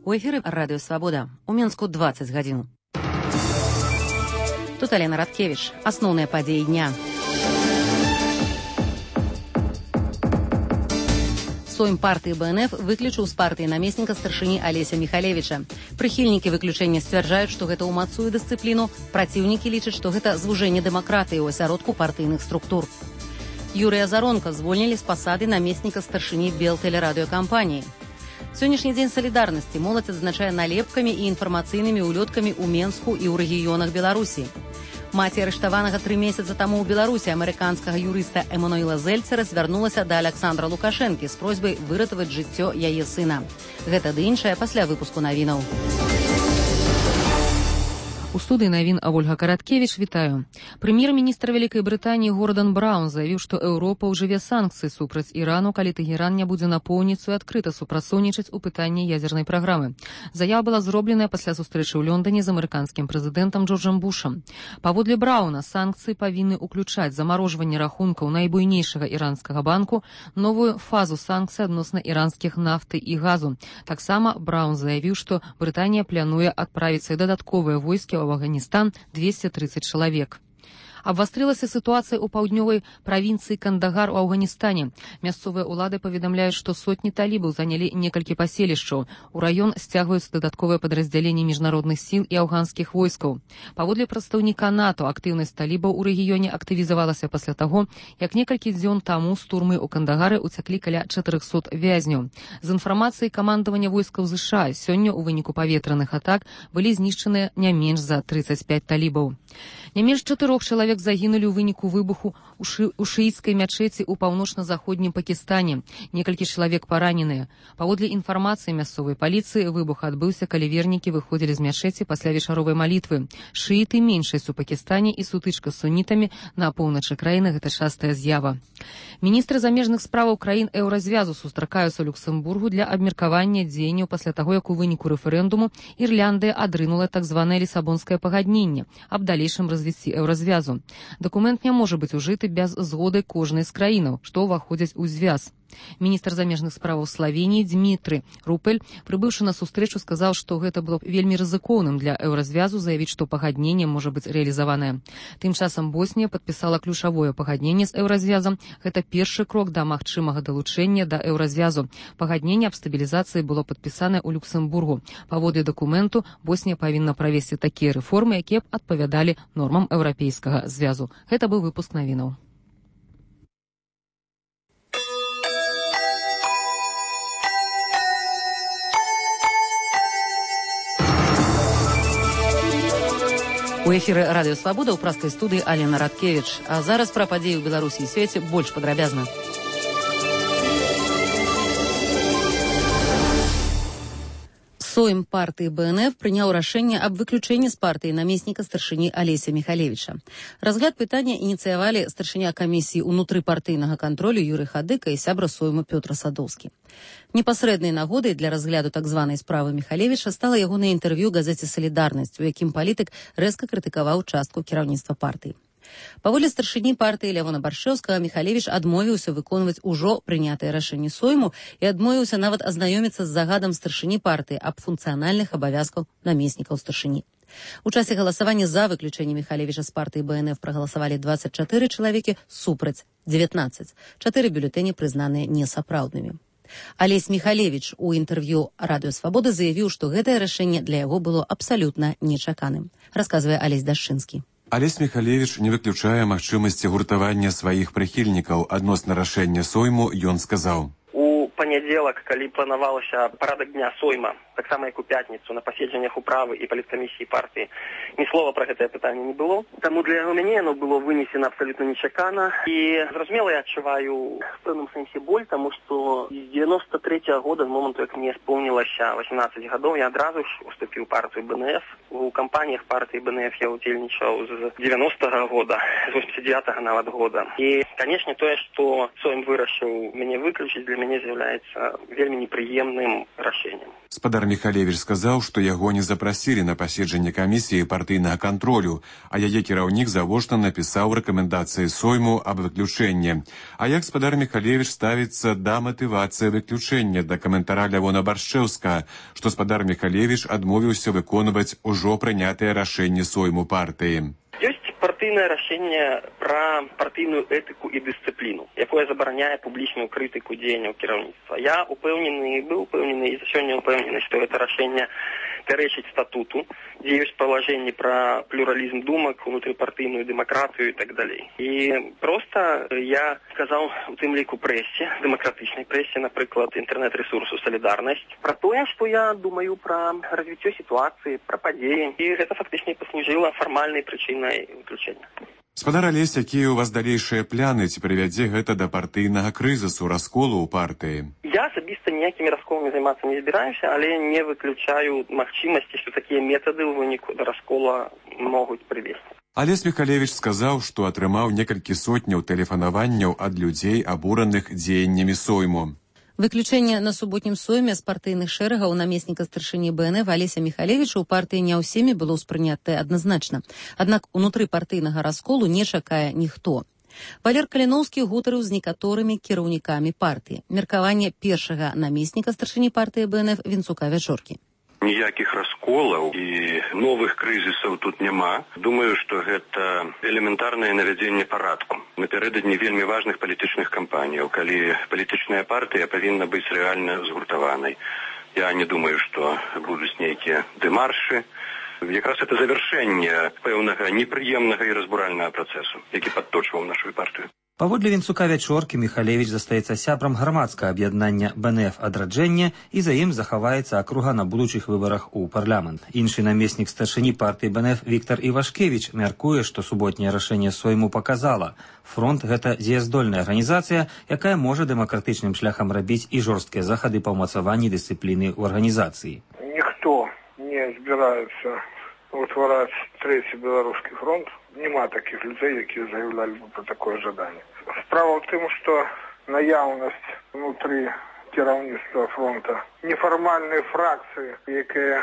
У эфіры Радыё Свабода. У Мінску 20 гадзін. Тут Алена Радкевіч. Асноўныя падзеі дня. Сойм партыі БНФ выключыў з партыі намесніка старшыні Алеся Міхалевіча. Прыхільнікі выключэння сцвярджаюць, што гэта ўмацуе дысцыпліну. Праціўнікі лічаць, што гэта звужэнне дэмакратыі ў асяродку партыйных структур. Юрыя Заронка звольнілі з пасады намесніка старшыні Белтэлерадыёкампаніі. Сённяшні дзень салідарнасці моладзь адзначае налепкамі і інфармацыйнымі ўлёткамі ў Менску і ў рэгіёнах Беларусі. Маці арыштаванага 3 месяцы таму ў Беларусі амерыканскага юрыста Эмануэла Зельцера звярнулася да Аляксандра Лукашэнкі з просьбай выратаваць жыццё яе сына. Гэта ды іншае пасля выпуску навінаў. У студыі навін Ольга Караткевіч, вітаю. Прэм'ер-міністр Вялікай Брытаніі Гордан Браўн заявіў, што Еўропа ўжыве санкцыі супраць Ірану, калі Тэгеран не будзе напоўніцу і адкрыта супрацоўнічаць у пытанні ядзернай праграмы. Заява была зробленая пасля сустрэчы ў Лондоне з амерыканскім прэзідэнтам Джорджам Бушам. Паводле Браўна, санкцыі павінны ўключаць замарожванне рахункаў найбуйнейшага іранскага банку, новую фазу санкцый адносна іранскіх нафты і газу. Таксама Браўн заявіў, што Брытанія плануе адправіць дадатковыя войскі в Афганистан 230 чалавек. Абвастрылася сітуацыя ў паўднёвай правінцыі Кандагар у Афганістане. Мясцовыя ўлады паведамляюць, што сотні талібаў занялі некалькі паселішчаў. У раён сцягваюцца дадатковыя падраздзяленні міжнародных сіл і афганскіх войскаў. Паводле прадстаўніка НАТО, актыўнасць талібаў у рэгіёне актывізавалася пасля таго, як некалькі дзён таму з турмы ў Кандагары ўцяклі каля 400 вязняў. З інфармацыяй камандавання войскаў США сёння ў выніку паветраных атак былі знішчаныя не менш за 35 талібаў. Не менш 4 чалавек загінулі ў выніку выбуху ў шыіцкай мячэці ў паўночна-заходнім Пакістане. Некалькі чалавек параненыя. Паводле інфармацыі мясцовай паліцыі, выбух адбыўся, калі вернікі выходзілі з мячэці пасля вечаровай малітвы. Шыіты меншасць у Пакістане і сутычка з сунітамі на поўначы краіны – гэта частая з'ява. Міністры замежных справаў краін еўразвязу сустракаюцца ў Люксембургу для абмеркавання дзеянняў пасля таго, як у выніку рэферэндуму Ірландыя адрынула так званае лісабонскае пагадненне аб далейшым развіцці еўразвязу. Дакумент не можа быць ужыты без згоды кожнай з краінаў, што ўваходзяць у звяз. Міністр замежных справаў Славеніі Дмітрый Рупель, прыбыўшы на сустрэчу, сказаў, што гэта было вельмі рызыкоўным для еўразвязу заявіць, што пагадненне можа быць рэалізаванае. Тым часам Боснія падпісала ключавое пагадненне з еўразвязам. Гэта першы крок да магчымага далучэння да еўразвязу. Пагадненне аб стабілізацыі было падпісанае ў Люксембургу. Паводле дакументу, Боснія павінна правесці такія рэформы, якія б адпавядалі нормам еўрапейскага звязу. Гэта быў выпуск навінаў. У эфіры Радыё Свабода ў праскай студыі Алена Радкевіч. А зараз пра падзеі ў Беларусі і свеце больш падрабязна. Сойм партыі БНФ прыняў рашэнне аб выключэнні з партыі намесніка старшыні Алеся Міхалевіча. Разгляд пытання ініцыявалі старшыня камісіі ўнутрыпартыйнага кантролю Юрый Хадыка і сябра сойму Пётр Садоўскі. Непасрэднай нагодай для разгляду так званай справы Міхалевіча стала ягонае інтэрв'ю газеце «Салідарнасць», у якім палітык рэзка крытыкаваў частку кіраўніцтва партыі. Паводле старшыні партыі Лявона Баршэўскага, Міхалевіч адмовіўся выконваць ужо прынятыя рашэнні сойму і адмовіўся нават азнаёміцца з загадам старшыні партыі аб функцыянальных абавязках намеснікаў старшыні. У часе галасавання за выключэнне Міхалевіча з партыі БНФ прагаласавалі 24 чалавекі, супраць 19. 4 бюлетэні прызнаныя несапраўднымі. Алесь Міхалевіч у інтэрв'ю Радыё Свабода заявіў, што гэтае рашэнне для яго было абсалютна нечаканым. Расказвае Алесь Дашчынскі. Алесь Міхалевіч не выключае магчымасці гуртавання сваіх прыхільнікаў. Адносна рашэння сойму ён сказаў: У панядзелак, калі планавалася парадак дня сойма, таксама як у пятніцу на паседжаннях управы і паліткамісіі партыі, ні слова пра гэтае пытанне не было. Таму для мяне яно было вынесена абсалютна нечакана. І зразумела, я адчуваю в пэўным сэнсе боль, таму што з 93-го года, з моманту, як мне споўнілася 18 гадоў, я адразу ж уступіў партыю БНФ. У кампаніях партыі БНФ я удзельнічаў з 90-го года, з 89-го нават года. І, канечне, тое, што сойм вырашыў мяне выключыць, для мяне з'яўляецца является вельмі неприемным решением. Спадар Михалевич сказаў, што яго не запрасілі на паседжанне камісіі партыйнага кантролю, а яе кіраўнік завочна напісаў рэкамендацыі Сойму аб выключэнні. А як спадар Михалевич ставіцца да матывацыі выключэння, да каментара Лявона Баршчэўска, што спадар Михалевич адмовіўся выконваць ужо прынятыя рашэнні Сойму партыі. Партыйнае рашэнне пра партыйную этыку і дысцыпліну, якое забараняе публічную крытыку дзеянняў кіраўніцтва. Я быў упэўнены і сёння упэўнены, што гэта рашэнне пярэчыць статуту, дзе ёсць палажэнні пра плюралізм думак, унутрыпартыйную дэмакратыю і так далей. І проста я сказаў у тым ліку прэсе, дэмакратычнай прэсе, напрыклад, інтэрнэт-рэсурсу «Салідарнасць», пра тое, што я думаю пра развіццё сітуацыі, пра падзеі, і гэта фактычна паслужыла фармальнай прычынай выключэння. Спадар Алесь, якія ў вас далейшыя пляны, ці прывядзе гэта да партыйнага крызісу, расколу ў партыі? Я асабіста ніякімі расколамі займацца не збіраюся, але не выключаю магчымасці, што такія метады ў выніку да раскола могуць прывесці. Алесь Михалевич сказаў, што атрымаў некалькі сотняў тэлефанаванняў ад людзей, абураных дзеяннямі Сойму. Выключэнне на суботнім сойме з партыйных шэрагаў намесніка старшыні БНФ Алеся Михалевіча ў партыі не ўсімі было ўспрынятае адназначна. Аднак унутры партыйнага расколу не чакае ніхто. Валер Каліноўскі гутарыў з некаторымі кіраўнікамі партыі. Меркаванне першага намесніка старшыні партыі БНФ Вінцука Вячоркі. Ніякіх расколаў і новых крызісаў тут няма. Думаю, што гэта элементарнае навядзенне парадку. Напярэдадні вельмі важных палітычных кампаніяў, калі палітычная партыя павінна быць рэальна згуртаванай. Я не думаю, што будуць нейкія дэмаршы. Якраз это завяршэнне пэўнага непрыемнага і разбуральнага працэсу, які падточваў нашу партыю. Паводле Вінцука Вячоркі Михалевич застаецца сябрам грамадскага аб'яднання БНФ «Адраджэнне» і за ім захаваецца акруга на будучых выбарах у парламент. Іншы намеснік старшыні партыі БНФ Віктар Івашкевіч мяркуе, што суботняе рашэнне Сойму паказала. Фронт – гэта дзеяздольная арганізацыя, якая можа дэмакратычным шляхам рабіць і жорсткія захады па ўмацаванні дысцыпліны ў арганізацыі. Ніхто не збіраецца утвараць трэці беларускі фронт. Нема таких людей, які заявляли бы про такое жаданне. Справа в тым, што наяўнасць внутры кіраўніцтва фронта нефармальныя фракцыі, якія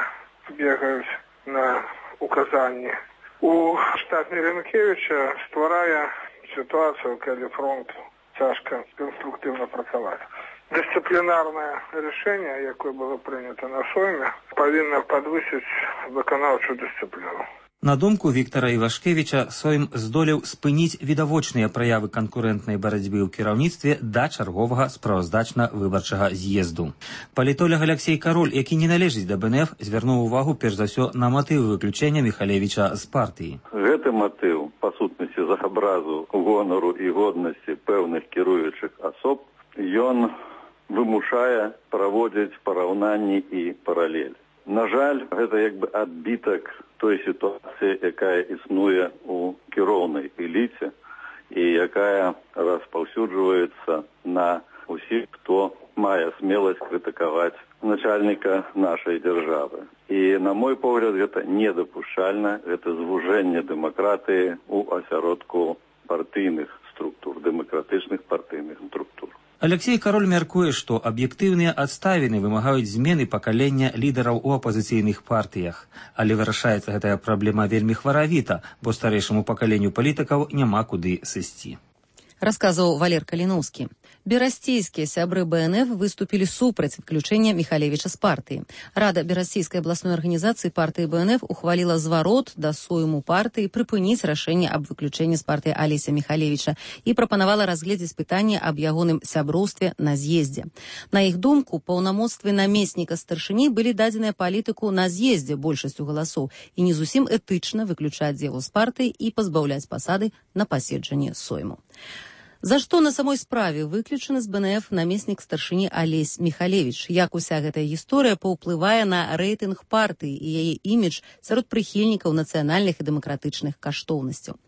бегаюць на указанні у штат Мірянкевіча, стварае сітуацыю, калі фронт цяжка конструктыўна працаваць. Дысцыплінарнае рашэнне, якое было прынята на Сойме, павінна падвысіць выканаўчую дысцыпліну. На думку Віктара Івашкевіча, Сойм здолеў спыніць відавочныя праявы канкурэнтнай барацьбы ў кіраўніцтве да чарговага справаздачна-выбарчага з'езду. Палітолог Алексей Кароль, які не належыць да БНФ, звярнуў увагу перш за ўсё на матыў выключэння Михалевіча з партыі. Гэты матыў, па сутнасці з абразу гонару і годнасці пэўных кіруючых асоб, ён вымушае праводзіць параўнанні і паралель. На жаль, гэта як бы адбітак той сітуацыі, якая існуе ў кіроўнай эліце і якая распаўсюджваецца на ўсіх, хто мае смеласць крытыкаваць начальніка нашай дзяржавы. І, на мой погляд, гэта недапушчальна, гэта звужэнне дэмакратыі ў асяродку партыйных структур, дэмакратычных партыйных структур. Алексей Кароль мяркуе, што аб'ектыўныя адставіны вымагаюць змены пакалення лідараў у апазіцыйных партыях. Але вырашаецца гэтая праблема вельмі хваравіта, бо старэйшаму пакаленню палітыкаў няма куды сысці. Расказваў Валер Каліноўскі. Берасцейскія сябры БНФ выступілі супраць выключэння Михалевіча з партыі. Рада Берасцейскай абласной арганізацыі партыі БНФ ухваліла зварот да Сойму партыі прыпыніць рашэнне аб выключэнні з партыі Алеся Михалевіча і прапанавала разгледзець пытанне аб ягоным сяброўстве на з'ездзе. На іх думку, паўнамоцтвы намесніка старшыні былі дадзеныя палітыку на з'ездзе большасцю галасоў і не зусім этычна выключаць яго з партыі і пазбаўляць пасады на паседжанні Сойму. За што на самой справе выключаны з БНФ намеснік старшыні Алесь Михалевич? Як уся гэтая гісторыя паўплывае на рэйтынг партыі і яе імідж сярод прыхільнікаў нацыянальных і дэмакратычных каштоўнасцяў?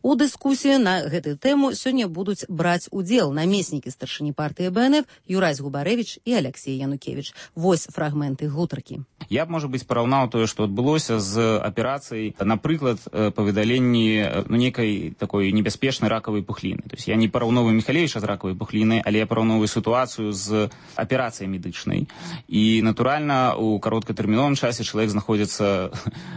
У дыскусіі на гэтую тэму сёння будуць браць удзел намеснікі старшыні партыі БНФ Юрась Губарэвіч і Алексей Янукевіч. Вось фрагменты гутаркі. Я б, можа быць, параўнаў тое, што адбылося з аперацыяй, напрыклад, па выдаленні нейкай такой небяспечнай ракавай пухліны. То есть я не параўноўваю Міхалевіча з ракавай пухлінай, але я параўноўваю сітуацыю з аперацыяй медычнай. І, натуральна, у кароткатэрміновым часе чалавек знаходзіцца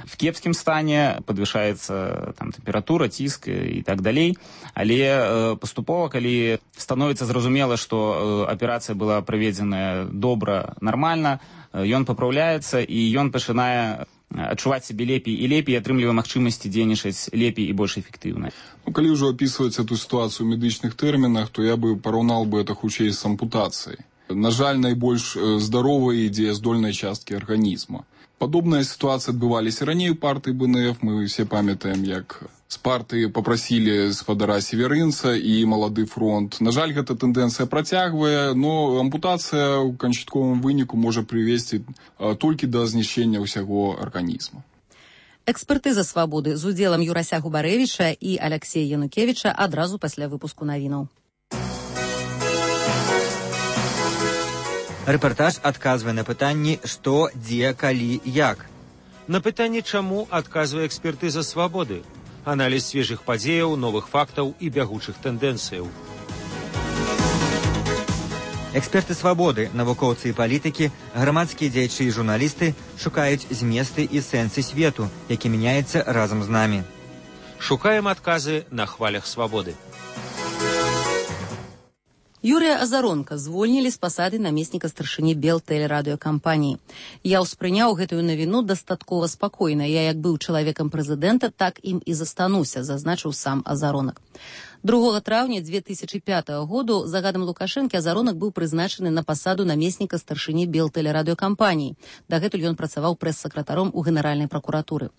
в кепскім стане, падвышаецца там тэмпература, ціск і так далей. Але паступова, калі становіцца зразумела, што аперацыя была праведзеная добра, нармальна, ён папраўляецца і ён пачынае адчуваць сябе лепей і лепей, атрымлівае магчымасці дзейнічаць лепей і больш эфектыўна. Калі ўжо апісваць эту сітуацыю ў медычных тэрмінах, то я бы параўнаў бы это хутчэй з ампутацыяй. На жаль, найбольш здаровай і дзеяздольнай часткі арганізма. Падобная сітуацыя адбываліся раней у партыі БНФ. Мы все памятаем, як з партыі папрасілі спадара Северынца і Малады фронт. На жаль, гэта тэндэнцыя працягвае, но ампутацыя ў канчатковым выніку можа прывесці толькі да знішчэння ўсяго арганізма. Экспертыза «Свабоды» з удзелам Юрася Губарэвіча і Аляксея Янукевіча адразу пасля выпуску навінаў. Рэпартаж адказвае на пытанні «Што, дзе, калі, як?». На пытанне «Чаму?» адказвае экспертыза «Свабоды». Аналіз свежых падзеяў, новых фактаў і бягучых тэндэнцыяў. Эксперты «Свабоды», навукоўцы і палітыкі, грамадскія дзеячы і журналісты шукаюць зместы і сэнсы свету, які мяняецца разам з намі. Шукаем адказы на хвалях «Свабоды». Юрія Азаронка звольнілі з пасады намесніка старшыні Белтэлерадыёкампаніі. Я ўспрыняў гэтую навіну дастаткова спакойна. Я як быў чалавекам прэзідэнта, так ім і застануся, зазначыў сам Азаронак. 2 траўня 2005 году загадам Лукашэнкі Азаронак быў прызначаны на пасаду намесніка старшыні Белтэлерадыёкампаніі. Дагэтуль ён працаваў прэс-сакратаром у Генеральнай пракуратуры.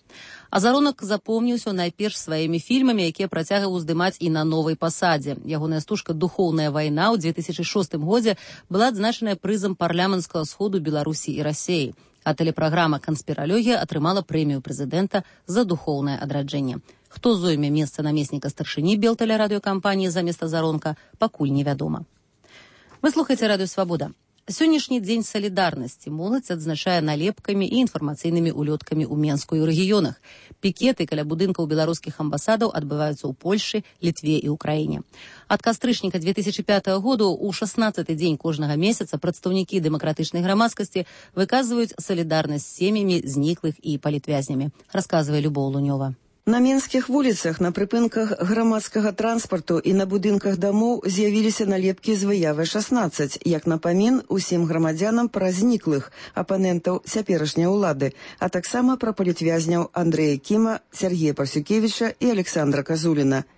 Азаронак запомніўся найперш сваімі фільмамі, якія працягваў здымаць і на новай пасадзе. Ягоная стужка «Духоўная вайна» ў 2006 годзе была адзначаная прызам парламенцкага сходу Беларусі і Расіі, а тэлепраграма «Канспіралогія» атрымала прэмію прэзідэнта за духоўнае адраджэнне. Хто зойме месца намесніка старшыні Белтэлерадыёкампаніі замест Азаронка, пакуль невядома. Вы слухаеце радыё «Свабода». Сённяшні дзень салідарнасці моладзь адзначае налепкамі і інфармацыйнымі улёткамі ў Менску і ў рэгіёнах. Пікеты каля будынкаў беларускіх амбасадаў адбываюцца ў Польшы, Літве і ўкраіне. Ад кастрычніка 2005 году ў 16-й дзень кожнага месяца прадстаўнікі дэмакратычнай грамадскасці выказваюць салідарнасць з сем'ямі зніклых і палітвязнямі, расказвае Любоў Лунёва. На менскіх вуліцах, на прыпынках грамадскага транспарту і на будынках дамоў з'явіліся налепкі з выявай 16, як напамін усім грамадзянам пра зніклых апанентаў цяперашняй улады, а таксама пра палітвязняў Андрэя Кіма, Сергея Парсюкевіча і Александра Казуліна.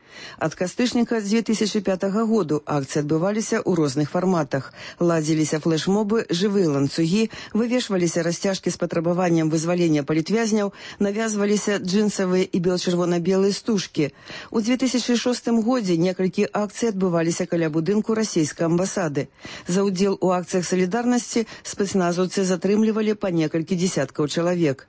Ад кастрычніка 2005 году акцыі адбываліся ў розных фарматах. Ладзіліся флэшмобы, жывыя ланцугі, вывешваліся расцяжкі з патрабаваннем вызвалення палітвязняў, навязваліся джинсавыя і бел-чырвона-белыя стужкі. У 2006 годзе некалькі акцый адбываліся каля будынку расійскай амбасады. За ўдзел у акцыях салідарнасці спецназаўцы затрымлівалі па некалькі дзесяткаў чалавек.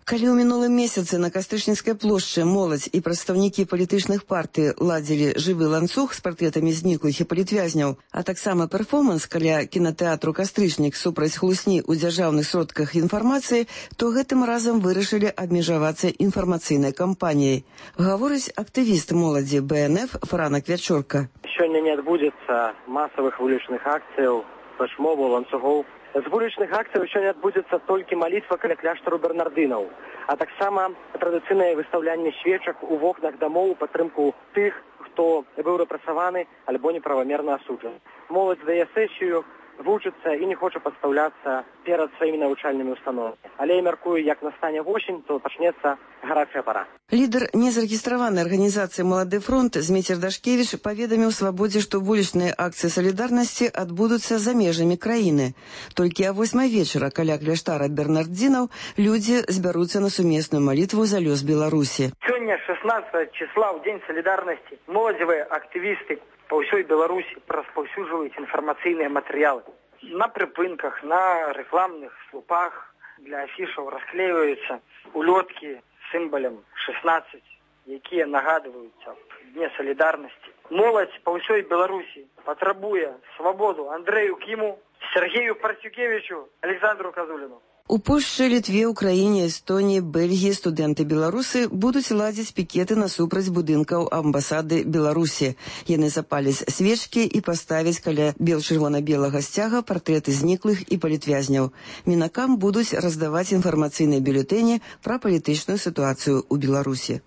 Калі ў мінулым месяцы на Кастрычніцкай плошчы моладзь і прадстаўнікі палітычных партый ладзілі жывы ланцуг з партрэтамі зніклых і палітвязняў, а таксама перформанс каля кінатэатру «Кастрычнік» супраць хлусні ў дзяржаўных сродках інфармацыі, то гэтым разам вырашылі абмежавацца інфармацыйнай кампаніяй. Гаворыць актывіст моладзі БНФ Франак Вячорка. Сёння не адбудзецца масавых вулічных акцыяў, флэшмобаў, ланцугоў. З вулічных акцыяў сёння адбудзецца толькі малітва каля кляштару бернардынаў, а таксама традыцыйнае выстаўлянне свечак у вокнах дамоў у падтрымку тых, хто быў рэпрэсаваны альбо неправамерна асуджаны. Моладзь дае сесію, вучыцца і не хоча падстаўляцца перад сваімі навучальнымі установамі. Але я мяркую, як настане восень, то пачнецца гарачая пара. Лідар незарэгістраванай арганізацыі «Малады фронт» Зміцер Дашкевіч паведаміў «Свабодзе», што вулічныя акцыі салідарнасці адбудуцца за межамі краіны. Толькі а 8 вечара каля кляштара бернардзінаў людзі збяруцца на сумесную малітву за лёс Беларусі. Сёння 16 числа, ў дзень салідарнасці, моладзевыя актывісты по ўсёй Беларусі распаўсюджваюць інфармацыйныя матэрыялы. На прыпынках, на рэкламных слупах для афішаў расклеиваюцца улёткі з сімвалам 16, якія нагадваюць аб дне салідарнасці. Моладзь по ўсёй Беларусі патрабуе свабоду Андрэю Кіму, Сергею Парсюкевічу, Александру Казуліну. У Польшчы, Літве, Украіне, Эстоніі, Бельгіі студэнты-беларусы будуць ладзіць пікеты насупраць будынкаў амбасады Беларусі. Яны запаляць свечкі і паставяць каля чырвона-белага сцяга партрэты зніклых і палітвязняў. Мінакам будуць раздаваць інфармацыйныя бюлетэні пра палітычную сітуацыю ў Беларусі.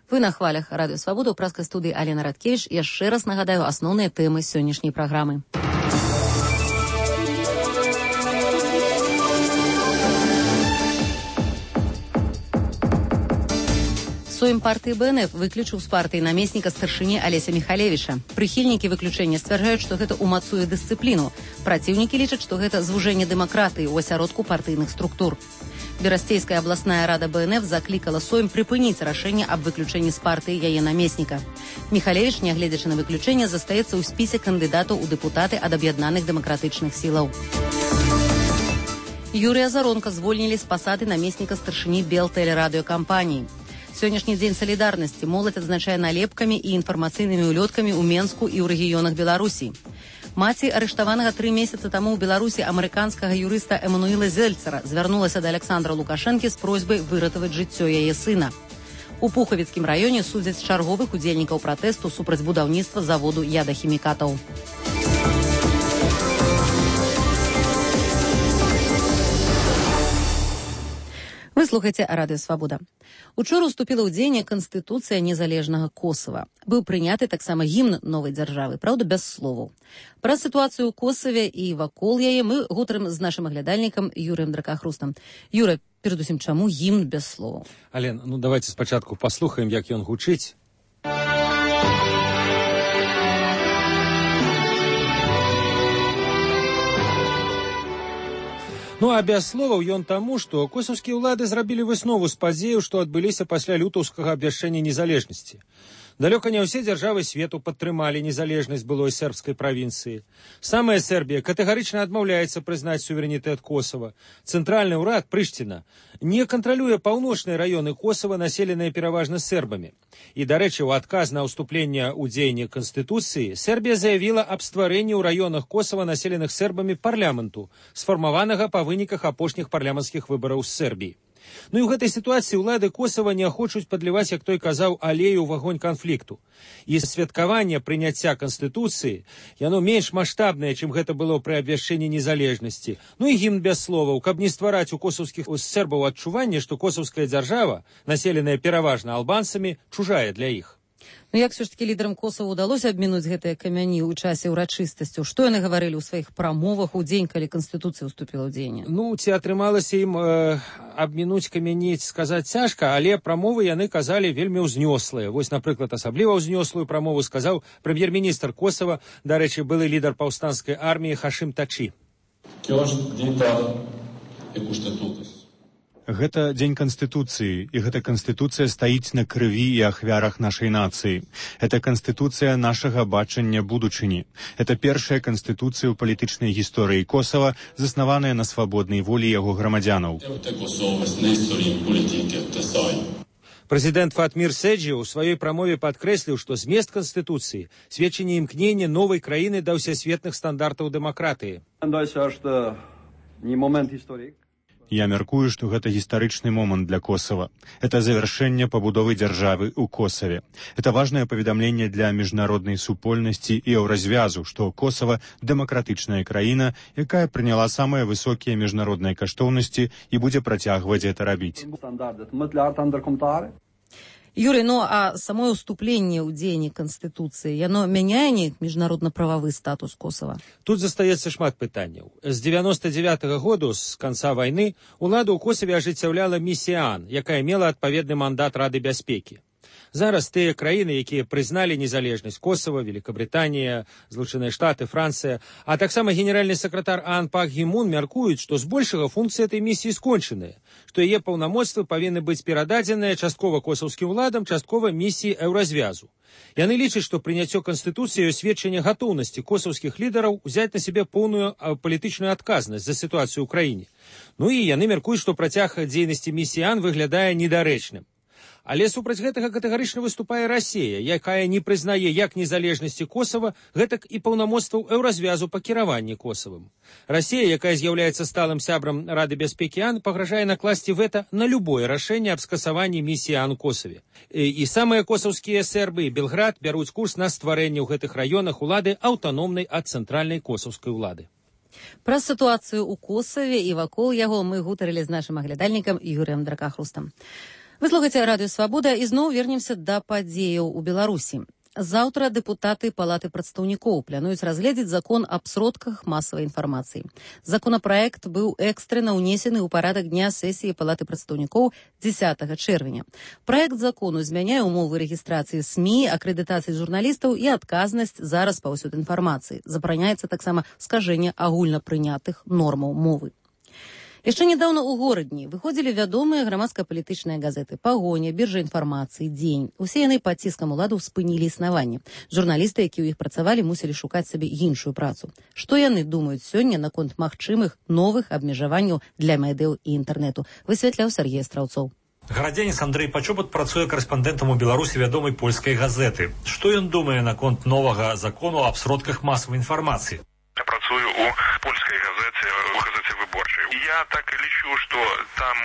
Вы на хвалях Радыё Свабода ў праскай студыі Алена Радкевіч. Яшчэ раз нагадаю асноўныя тэмы сённяшняй праграмы. Сойм партыі БНФ выключыў з партыі намесніка старшыні Алеся Михалевіча. Прыхільнікі выключэння сцвярджаюць, што гэта ўмацуе дысцыпліну. Праціўнікі лічаць, што гэта звужэнне дэмакратыі ў асяродку партыйных структур. Берасцейская абласная рада БНФ заклікала Сойм прыпыніць рашэнне аб выключэнні з партыі яе намесніка. Михалевіч, нягледзячы на выключэнне, застаецца ў спісе кандыдатаў у дэпутаты ад аб'яднаных дэмакратычных сілаў. Юрыя Заронка звольнілі з пасады намесніка старшыні Белтэлерадыёкампаніі. Сённяшні дзень салідарнасці моладзь адзначае налепкамі і інфармацыйнымі улёткамі ў Менску і ў рэгіёнах Беларусі. Маці арыштаванага 3 месяцы таму ў Беларусі амерыканскага юрыста Эмануіла Зельцера звярнулася да Александра Лукашэнкі з просьбай выратаваць жыццё яе сына. У Пухавіцкім раёне судзяць чарговых удзельнікаў пратэсту супраць будаўніцтва заводу ядахімікатаў. Вы слухаеце Радыё Свабода. Учора уступіла ў дзеянне Канстытуцыя незалежнага Косава. Быў прыняты таксама гімн новай дзяржавы, праўда, без словаў. Пра сітуацыю ў Косаве і вакол яе мы гутарым з нашым аглядальнікам Юрыем Дракахрустам. Юра, перадусім, чаму гімн без словаў? Ален, давайте спачатку паслухаем, як ён гучыць. А без словаў ён таму, што косаўскія ўлады зрабілі выснову з падзеяў, што адбыліся пасля лютаўскага абвяшчэння незалежнасці. Далёка не ўсе дзяржавы свету падтрымалі незалежнасць былой сербскай правінцыі. Самая Сербія катэгарычна адмаўляецца прызнаць суверэнітэт Косава. Цэнтральны ўрад, Прыштіна, не кантралюе паўночныя раёны Косава, населеныя пераважна сербамі. І, дарэчы, у адказ на ўступленне ў дзеянне Канстытуцыі Сербія заявіла аб стварэнні ў раёнах Косава, населеных сербамі, парламенту, сфармаванага па выніках апошніх парламенцкіх выбараў з Сербіі. І ў гэтай сітуацыі ўлады Косава не хочуць падліваць, як той казаў, алею ў агонь канфлікту. І святкаванне прыняцця Канстытуцыі, яно менш маштабнае, чым гэта было пры абвяшчэнні незалежнасці. І гімн без словаў, каб не ствараць у косаўскіх сербаў адчуванне, што косаўская дзяржава, населеная пераважна албанцамі, чужая для іх. Як все ж таки лідарам Косава ўдалося абмінуць гэтыя камяні ў часе ўрачыстасцяў? Што яны гаварылі ў сваіх прамовах у дзень, калі Канстытуцыя ўступіла ў дзеянне? Ці атрымалася ім абмінуць камяні, сказаць цяжка, але прамовы яны казалі вельмі ўзнёслыя. Вось, напрыклад, асабліва ўзнёслую прамову сказаў прэм'ер-міністр Косава, дарэчы, былы лідар паўстанцкай арміі Хашим Тачи. Гэта дзень Канстытуцыі, і гэта Канстытуцыя стаіць на крыві і ахвярах нашай нацыі. Гэта Канстытуцыя нашага бачання будучыні. Гэта першая Канстытуцыя ў палітычнай гісторыі Косава, заснаваная на свабоднай волі яго грамадзянаў. Прэзідэнт Фатмір Седжі ў сваёй прамове падкрэсліў, што змест Канстытуцыі сведчанне імкнення новай краіны да ўсесветных стандартаў дэмакратыі. Я мяркую, што гэта гістарычны момант для Косава. Это завяршэнне пабудовы дзяржавы ў Косаве. Это важнае паведамленне для міжнароднай супольнасці і еўразвязу, што Косава дэмакратычная краіна, якая прыняла самыя высокія міжнародныя каштоўнасці і будзе працягваць гэта рабіць. Юрий, а само ўступленне ў дзеянне Канстытуцыі, яно мяняе неяк міжнародна-прававы статус Косава? Тут застаецца шмат пытанняў. З 99-го году, з канца вайны, уладу ў Косаве ажыццяўляла місія АН, якая мела адпаведны мандат Рады бяспекі. Зараз тыя краіны, якія прызналі незалежнасць Косава, Великабрытанія, Злучаныя Штаты, Францыя, а таксама генеральны сакратар АН Пак Гі Мун мяркуюць, што збольшага функцыі этой місіі скончаныя, што яе паўнамоцтвы павінны быць перададзеныя часткова косаўскім уладам, часткова місіі еўразвязу. Яны лічаць, што прыняццё Канстытуцыі сведчанне гатоўнасці косаўскіх лідараў узяць на сябе поўную палітычную адказнасць за сітуацыю ў краіне. І яны мяркуюць, што працяг дзейнасці місіі АН выглядае недарэчным. Але супраць гэтага катэгарычна выступае Расія, якая не прызнае як незалежнасці Косава, гэтак і паўнамоцтваў Еўразвязу па кіраванні Косавым. Расія, якая з'яўляецца сталым сябрам Рады бяспекі АН, пагражае накласці вэта на любое рашэнне аб скасаванні місіі АН Косаве. І самыя косаўскія сербы і Белград бяруць курс на стварэнне ў гэтых раёнах улады аўтаномнай ад цэнтральнай косаўскай улады. Пра сітуацыю ў Косаве і вакол яго мы гутарылі з нашым аглядальнікам Юрыем Дракахрустам. Вы слухаеце Радыё Свабода і зноў вернемся да падзеяў у Беларусі. Заўтра дэпутаты Палаты прадстаўнікоў плануюць разгледзець закон аб сродках масавай інфармацыі. Законапраект быў экстрэнна ўнесены ў парадак дня сесіі Палаты прадстаўнікоў 10 чэрвеня. Праект закону змяняе ўмовы рэгістрацыі СМІ, акрэдытацыі журналістаў і адказнасць за распаўсюд інфармацыі. Забараняецца таксама скажэнне агульнапрынятых нормаў мовы. Яшчэ нядаўна ў горадні выходзілі вядомыя грамадска-палітычныя газеты «Пагоня», «Біржа інфармацыі», «Дзень». Усе яны пад ціскам уладаў спынілі існаванне. Журналісты, якія ў іх працавалі, мусілі шукаць сабе іншую працу. Што яны думаюць сёння наконт магчымых новых абмежаванняў для медыяў і інтэрнэту, высвятляў Сергей Страўцоў. Гарадзянец Андрэй Пачобат працуе карэспандэнтам у Беларусі вядомай польскай газеты. Што ён думае наконт новага закону аб сродках масавай інфармацыі? Я працую у польскай газеце, у газеце «Выборчай». Я так і лічу, што там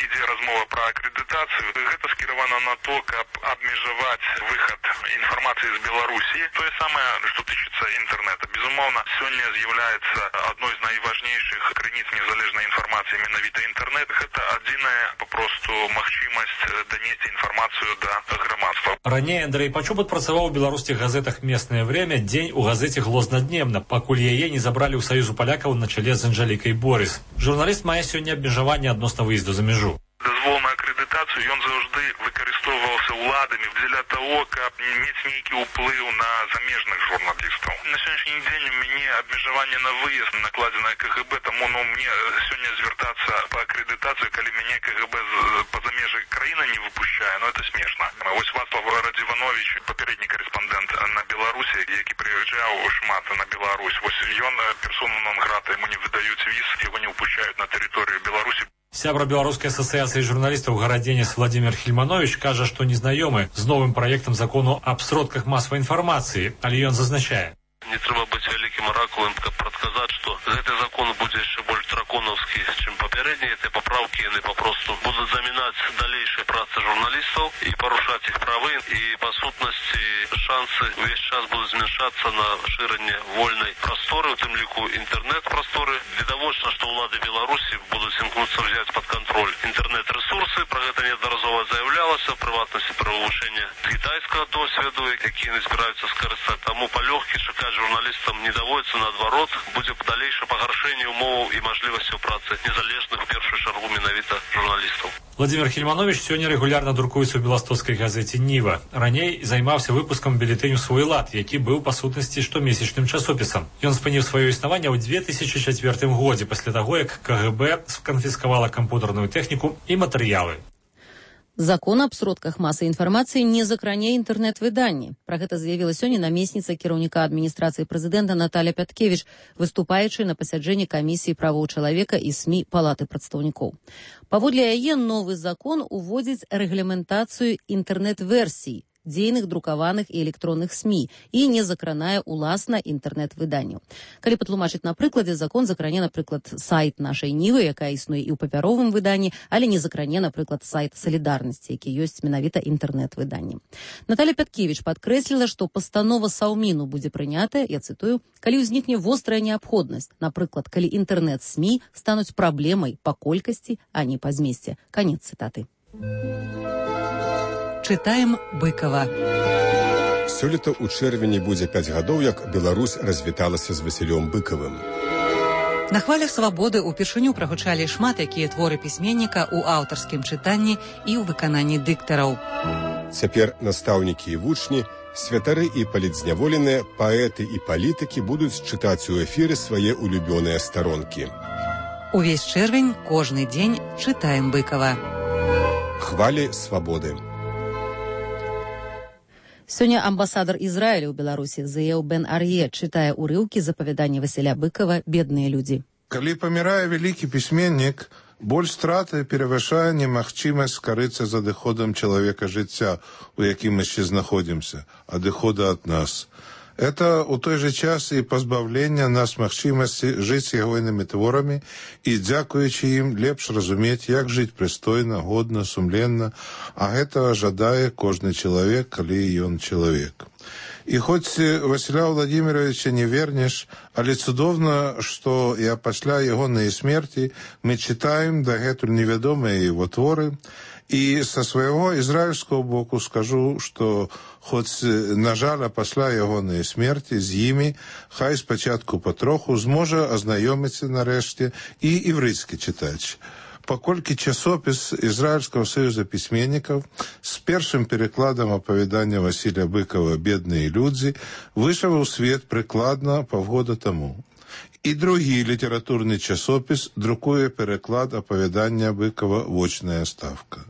ідзе размова пра акрэдытацыю. Гэта скіравана на то, каб абмежаваць выхад інфармацыі з Беларусі. Тое самае, што тычыцца інтэрнэта. Безумоўна, сёння з'яўляецца адной з найважнейшых крыніц незалежнай інфармацыі менавіта інтэрнэт. Гэта адзіная папросту магчымасць данесці інфармацыю да грамадства. Раней Андрэй Пачобат працаваў у беларускіх газетах «Местное время», «Дзень» у газеце «Глознадневна», пакуль яе не забралі ў Саюзу палякаў на чале з Анжэлікай Борыс. Журналіст мае сёння абмежаванне адносна выезду за мяжу. Дазвол на акрэдытацыю ён заўжды выкарыстоўваўся ўладамі дзеля таго, каб мець нейкі ўплыў на замежных журналістаў. На сённяшні дзень у мяне абмежаванне на выезд накладзенае КГБ, таму мне сёння звяртацца па акрэдытацыю, калі мяне КГБ па-за межы краіны не выпушчае, это смешна. Вось Вацлав Радзіванович, папярэдні карэспандэнт на Беларусі, які прыязджаў шмат на Беларусь, вось ён персона нон-грата, яму не выдаюць віз, яго не выпушчаюць на тэрыторыю Беларусі. Сябра Беларускай асацыяцыі журналістаў гарадзенец Владимир Хельманович кажа, што незнаёмы з новым праектам закону аб сродках масавай інфармацыі, але ён зазначае. Не трэба быць вялікім аракулам, каб прадказаць, што гэты закон будзе яшчэ больш драконаўскі, чым папярэдні. Гэтыя папраўкі яны папросту будуць замінаць далейшай працы журналістаў і парушаць іх правы. І па сутнасці шансы ўвесь час будуць змяншацца на шырэнне вольнай прасторы, у тым ліку інтэрнэт-прасторы. Відавочна, што ўлады Беларусі будуць імкнуцца ўзяць пад кантроль інтэрнэт-рэсурсы. Пра гэта неаднаразова заяўлялася, ў прыватнасці пра вывучэнне кітайскага досведу, які яны збіраюцца скарыстаць. Таму палёгкі чакаць журналістам не даводится, наадварот, будзе далейшае пагаршэнне умоваў і мажлівасцяў працы незалежных, в першую чаргу, менавіта журналістаў. Владимир Хельманович сёння рэгулярна друкуецца ў беластоцкай газеце «Ніва». Раней займаўся выпускам бюлетэню «Свой лад», які быў, па сутнасці, штомесячным часопісам. Ён спыніў сваё існаванне ў 2004 годзе, пасля таго, як КГБ сканфіскавала кампутарную тэхніку і матэрыялы. Закон аб сродках масавай інфармацыі не закране інтэрнэт-выданні. Пра гэта заявіла сёння намесніца кіраўніка адміністрацыі прэзідэнта Наталя Пяткевіч, выступаючы на пасяджэнні камісіі правоў чалавека і СМІ Палаты прадстаўнікоў. Паводле яе новы закон уводзіць рэгламентацыю інтэрнэт-версій дзейных друкаваных і электронных СМІ і не закранае уласна інтэрнэт-выданняў. Калі патлумачыць на прыкладзе, закон закране, напрыклад, сайт нашай Нівы, якая існуе і ў папяровым выданні, але не закране, напрыклад, сайт Салідарнасці, які ёсць менавіта інтэрнэт-выданнем. Наталя Пяткевіч падкрэсліла, што пастанова Саўміну будзе прынятая, я цытую, калі ўзнікне вострая неабходнасць, напрыклад, калі інтэрнэт-СМІ стануць праблемай па колькасці, а не па змесце. Канец цытаты. Чытаем Быкова. Сёлета ў чэрвені будзе 5 гадоў, як Беларусь развіталася з Васілём Быкавым. На хвалях свабоды ўпершыню прагучалі шмат якія творы пісьменніка ў аўтарскім чытанні і ў выкананні дыктараў. Цяпер настаўнікі і вучні, святары і палітзняволеныя, паэты і палітыкі будуць чытаць у эфіры свае улюбёныя старонкі. Увесь чэрвень, кожны дзень чытаем Быкава. Хвалі свабоды. Сёння амбасадар Ізраіля ў Беларусі Зеяў Бен Ар'е чытае ўрыўкі з апавядання Васіля Быкава «Бедныя людзі». Калі памірае вялікі пісьменнік, Боль страты перавышае немагчымасць скарыцца за адыходам чалавека жыцця, у якім мы яшчэ знаходзімся, адыхода ад нас. Это у той же час і пазбаўлення нас магчымасці жыць ягонымі творамі і, дзякуючы ім, лепш разумець, як жыць прыстойна, годна, сумленна, а гэтага жадае кожны чалавек, калі ён чалавек. І хоць Васіля Владимировича не вернеш, але цудоўна, што і пасля ягонай смерці мы чытаем дагэтуль невядомыя яго творы. І са свайго ізраільскага боку скажу, што хоць, на жаль, пасля ягонай смерці з імі, хай спачатку патроху зможа азнаёміцца нарэшце і іврыцкі чытач. Паколькі часопіс Ізраільскага саюза пісьменнікаў з першым перакладам апавядання Васіля Быкова «Бедныя людзі» выйшаў у свет прыкладна паўгода таму. І другі літаратурны часопіс друкуе пераклад апавядання Быкова «Вочная ставка».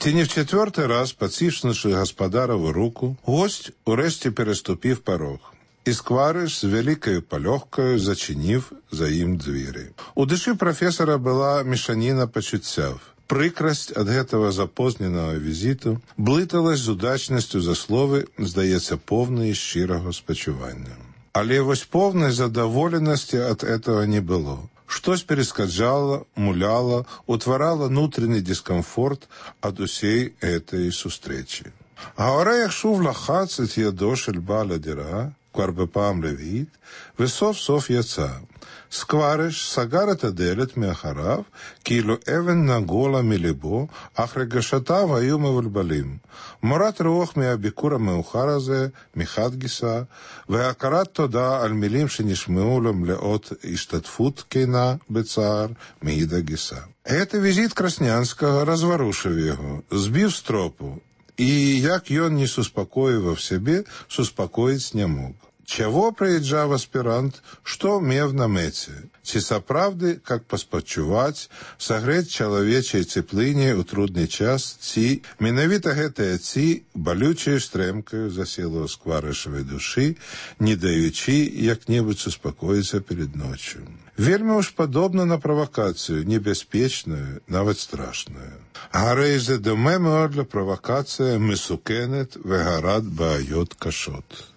Ці не в четвертий раз, поціснувши господарову руку, гость урешті переступив порог. І Сквариш з великою польохкою зачинив за їм двері. У душі професора була мішаніна почуттів. Прикрость від гэтага запозненого візиту блиталась з удачністю за слови, здається, повної щирого спочування. Але вось повної задоволеності від этого не було. Штось перескаджало, муляло, утварало внутренний дискомфорт от усей этой сустречи. Говоря, шув лахацет ядошель баля дира, кварбепам левит, весов сов яца. Сквариш сагарет аделет меахарав, килу эвен нагола милибо, ахрегашатав аюм эвульбалим. Морат руох меабикура меухаразе, михадгиса, веакарат тода аль милим шенишмеулем леот иштатфут кейна бецар меида гиса. Это визит Краснянского разворушив його, збив з тропу, і як ён не суспокоював себе, суспокоїць не мог. Чего приезжав аспирант, что мев на мэце? Ці сапраўды, как паспачуваць, сагрэць чалавечай цеплыне ў трудны час, ці менавіта гэтая ці балючай стрэмкаю засела ў скварышавай душы, не даючы як-небудзь успакоіцца перед ночью. Вельмі уж падобна на правакацыю, небяспечную, нават страшную. Гарэйзе домемо для правакацыя месукенет вегарат баайот кашот.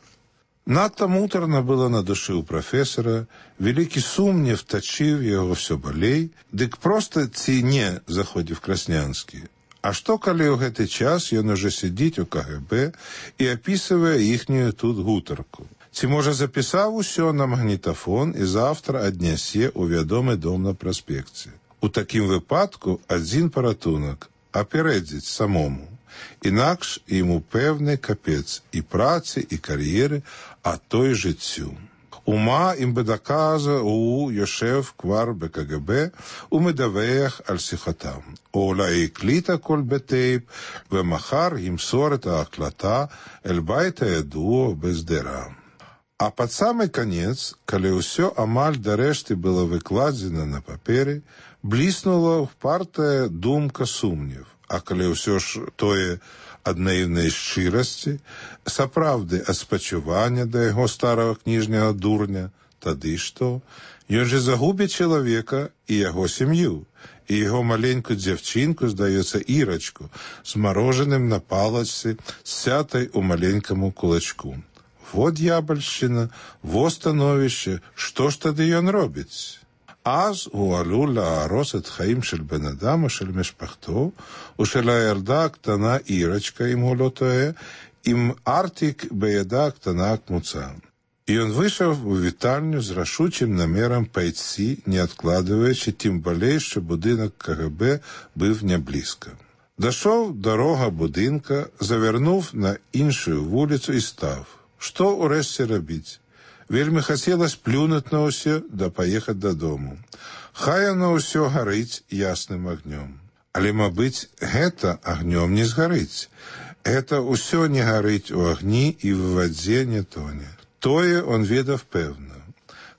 Надто муторно было на душе у профессора, великий сумнев точив его все болей, дык просто ці не заходив Краснянский. А что, коли у гэты час ён уже сидить у КГБ и описывая ихнюю тут гутарку? Ці, може, записав усё на магнітафон і завтра аднясе у вядомы дом на праспекце? У такім выпадку адзін паратунак – апярэдзіць самому. Інакш ему певний капець і праці, і кар'єри, а то й життю. Ума им би доказа у Йошев квар БКГБ у медавеях аль-сихотам. Оула кліта коль бетейб, вемахар їм сорета аклата, ельбайта едуо без дера. А пад самый конец, калі ўсё амаль да рэшты было выкладзена на паперы, бліснула впартая думка сумнев. А калі ўсё ж тое ад наіўнай шчырасці, сапраўды ад спачування да яго старага кніжняга дурня, тады што? Ён же загубіць чалавека і яго сям'ю, і яго маленькую дзяўчынку, здаецца, Ірачку, з марожаным на палачцы, сятай у маленькаму кулачку. Во д'ябальшчына, во становішча, што ж тады ён робіць? אז הוא עלול להרוס את חיים של בן אדם או של משפחתו, או של הילדה הקטנה אירצ'קה, אם הוא לא טועה, עם ארטיק בידה הקטנה כמוצה. И он вышел в вітальню з рашучим намером пойти, не откладываючи, тим более, що будинок КГБ був не близько. Дошов дорога будинка, завернув на іншу вулицю і став. Що урешті робити? Вельмі хацелось плюнуть на ўсё, да паехаць дадому. Хай оно ўсё гарыць ясным агнём. Але, мабыць, гэта агнём не згарыць. Гэта ўсё не гарыць у агні і в вадзе не тоне. Тое он ведаў пэўна.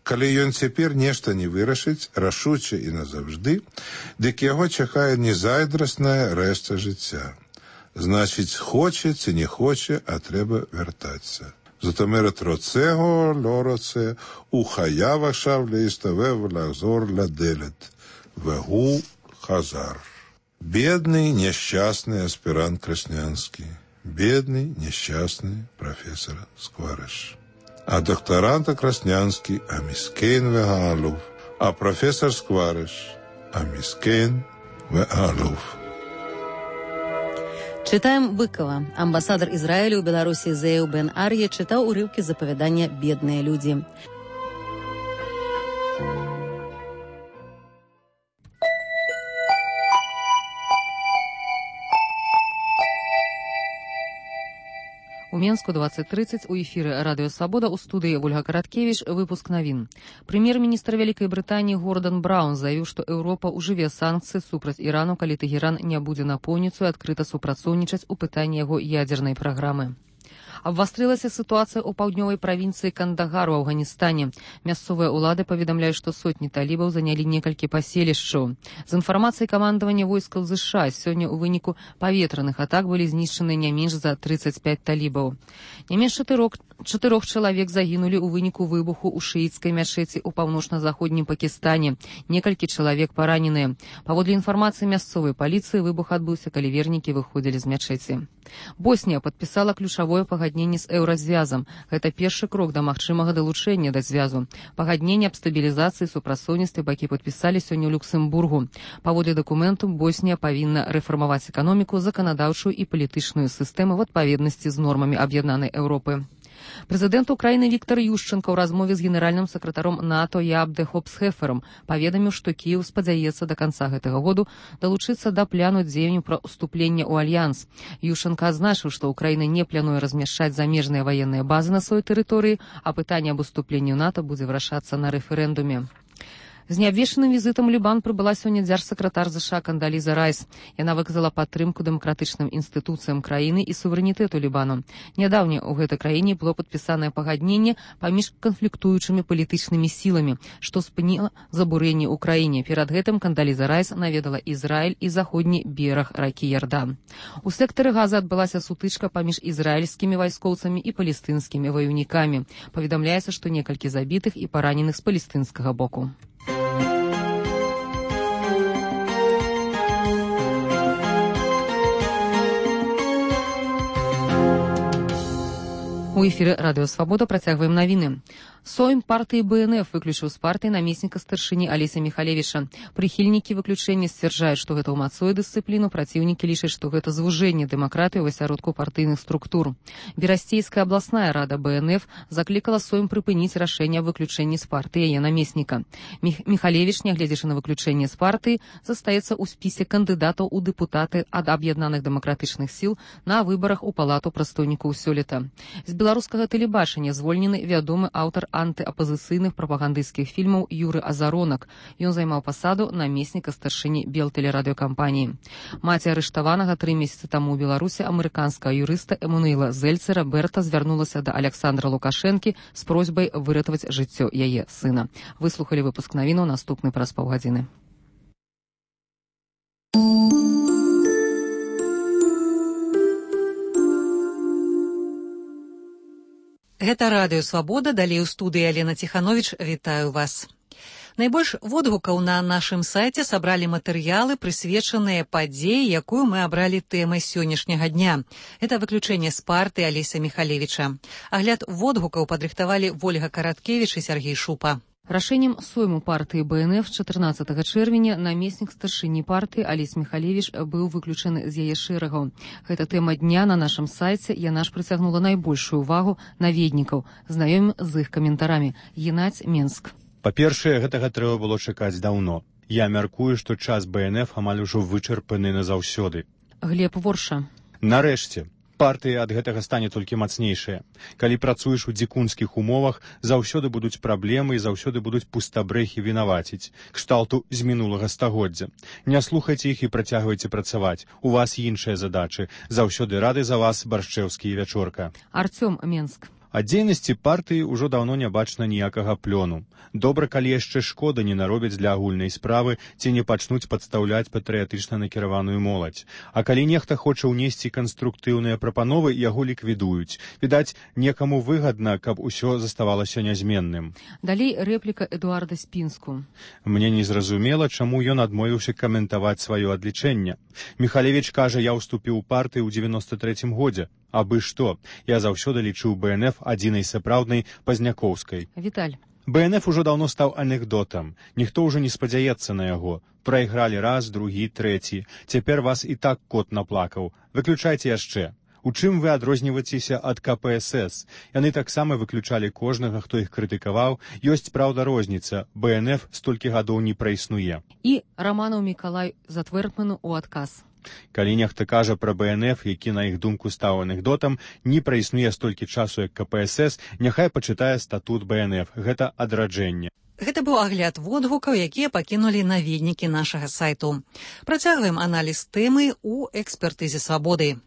Калі ён цяпер нешта не вырашыць, рашуча і назаўжды, дык яго чакае незайдрасная рэшта жыцця. Значить, хоче ці не хоче, а треба вертатися. זאת אומרת, רוצה או לא רוצה, הוא חייב עכשיו להסתובב ולחזור לדלת. והוא חזר. Бедный, несчастный аспирант Краснянский. Бедный, несчастный профессор Скварыш. А докторанта Краснянский амискейн вегаалув. А профессор Скварыш амискейн вегаалув. Читаем Быкова. Амбассадор Израиля у Беларуси Зею Бен Арье читал урывки из заповедания «Бедные люди». У Менску 20:30 у эфіры Радыё Свабода у студыі Ольга Караткевіч выпуск навін. Прэм'ер-міністр Вялікай Брытаніі Гордан Браун заявіў, што Еўропа ўжыве санкцыі супраць Ірану, калі Тэгеран не будзе напоўніцу і адкрыта супрацоўнічаць у пытанні яго ядзернай праграмы. Абвастрылася сітуацыя ў паўднёвай правінцыі Кандагар у Афганістане. Мясцовыя ўлады паведамляюць, што сотні талібаў занялі некалькі паселішчаў. З інфармацыяй камандавання войскаў ЗША сёння ў выніку паветраных атак былі знішчаны не менш за 35 талібаў. Не менш 4 чалавек загінулі ў выніку выбуху ў шыіцкай мячэці ў паўночна-заходнім Пакістане. Некалькі чалавек параненыя. Паводле інфармацыі мясцовай паліцыі, выбух адбыўся, калі вернікі выходзілі з мячэці. Боснія падпісала ключавое пагадненне з еўразвязам. Гэта першы крок да магчымага далучэння да звязу. Пагадненне аб стабілізацыі супрацоўніцтве бакі падпісалі сёння ў Люксембургу. Паводле дакументу, Боснія павінна рэфармаваць эканоміку, заканадаўчую і палітычную сістэму в адпаведнасці з нормамі аб'яднанай Еўропы. Прэзідэнт Украіны Віктор Ющенко ў размове з генеральным сакратаром НАТО Ябде Хопсхефером паведаміў, што Кіеў спадзяецца да канца гэтага году далучыцца да пляну дзеянняў пра ўступленне ў альянс. Ющенко адзначыў, што Украіна не плануе размяшчаць замежныя ваенныя базы на сваёй тэрыторыі, а пытанне аб уступленні ў НАТО будзе вырашацца на рэферэндуме. З неабвешчаным візітам Лібан прыбыла сёння дзяржсакратар ЗША Кандаліза Райс. Яна выказала падтрымку дэмакратычным інстытуцыям краіны і суверэнітэту Лібану. Нядаўна ў гэтай краіне было падпісанае пагадненне паміж канфліктуючымі палітычнымі сіламі, што спыніла забурэнне ў краіне. Перад гэтым Кандаліза Райс наведала Ізраіль і заходні бераг ракі Ярдан. У сектары Газа адбылася сутычка паміж ізраільскімі вайскоўцамі і палестынскімі ваюнікамі. Паведамляецца, што некалькі забітых і параненых з палестынскага боку. У эфіры Радыё Свабода працягваем навіны. Сойм партыі БНФ выключыў з партыі намесніка старшыні Алеся Міхалевіча. Прыхільнікі выключэння сцвярджаюць, што гэта ўмацуе дысцыпліну, праціўнікі лічаць, што гэта звужэнне дэмакратыі ў асяродку партыйных структур. Берасцейская абласная рада БНФ заклікала Сойм прыпыніць рашэнне аб выключэнні з партыі яе намесніка. Міхалевіч, нягледзячы на выключэнне з партыі, застаецца ў спісе кандыдатаў у дэпутаты ад аб'яднаных дэмакратычных сіл на выбарах у палату прадстаўнікоў сёлета. З беларускага тэлебачання звольнены вядомы аўтар антыапазіцыйных прапагандысцкіх фільмаў Юры Азаронак. Ён займаў пасаду намесніка старшыні Белтэлерадыёкампаніі. Маці арыштаванага 3 месяцы таму ў Беларусі амерыканскага юрыста Эмануэла Зельцера Берта звярнулася да Александра Лукашэнкі з просьбай выратаваць жыццё яе сына. Выслухалі выпуск навінаў, наступны праз паўгадзіны. Гэта Радыё Свабода, далей у студыі Алена Ціхановіч, вітаю вас. Найбольш водгукаў на нашым сайце сабралі матэрыялы, прысвечаныя падзеі, якую мы абралі тэмай сённяшняга дня. Гэта выключэнне з партыі Алеся Міхалевіча. Агляд водгукаў падрыхтавалі Ольга Караткевіч і Сергей Шупа. Рашэннем сойму партыі БНФ 14 чэрвеня намеснік старшыні партыі Алесь Міхалевіч быў выключаны з яе шэрагаў. Гэта тэма дня на нашым сайце, яна ж прыцягнула найбольшую увагу наведнікаў. Знаёмім з іх каментарамі. Геннадзь, Менск. Па-першае, гэтага трэба было чакаць даўно. Я мяркую, што час БНФ амаль ужо вычарпаны назаўсёды. Глеб, Ворша. Нарэшце. Партыі ад гэтага стане толькі мацнейшая. Калі працуеш у дзікунскіх умовах, заўсёды будуць праблемы і заўсёды будуць пустабрэхі вінаваціць, кшталту з мінулага стагоддзя. Не слухайце іх і працягвайце працаваць. У вас іншыя задачы. Заўсёды рады за вас, Баршчэўскі і Вячорка. Артём, Менск. Ад дзейнасці партыі ўжо даўно не бачна ніякага плёну. Добра, калі яшчэ шкода не наробяць для агульнай справы ці не пачнуць падстаўляць патрыятычна накіраваную моладзь. А калі нехта хоча ўнесці канструктыўныя прапановы, яго ліквідуюць. Відаць, некаму выгадна, каб усё заставалася нязменным. Далей рэпліка Эдуарда Спінску. Мне незразумела, чаму ён адмовіўся каментаваць сваё адлічэнне. Міхалевіч кажа, я ўступіў у партыю ў 93-м годзе. Абы што, я заўсёды лічыў БНФ адзінай сапраўднай пазняковскай. Віталь. БНФ ужо даўно стаў анекдотам. Ніхто ўжо не спадзяецца на яго. Прайгралі раз, другі, трэці. Цяпер вас і так кот наплакаў. Выключайце яшчэ. У чым вы адрозніваецеся ад КПСС? Яны таксама выключалі кожнага, хто іх крытыкаваў. Ёсць, праўда, розніца. БНФ столькі гадоў не праіснуе. І Раманаў Мікалай Затвэрдману ў адказ. Калі нехта кажа пра БНФ, які на іх думку стаў анекдотам, не праіснуе столькі часу, як КПСС, няхай пачытае статут БНФ. Гэта адраджэнне. Гэта быў агляд водгукаў, якія пакінулі наведнікі нашага сайту. Працягваем аналіз тэмы ў экспертызе свабоды.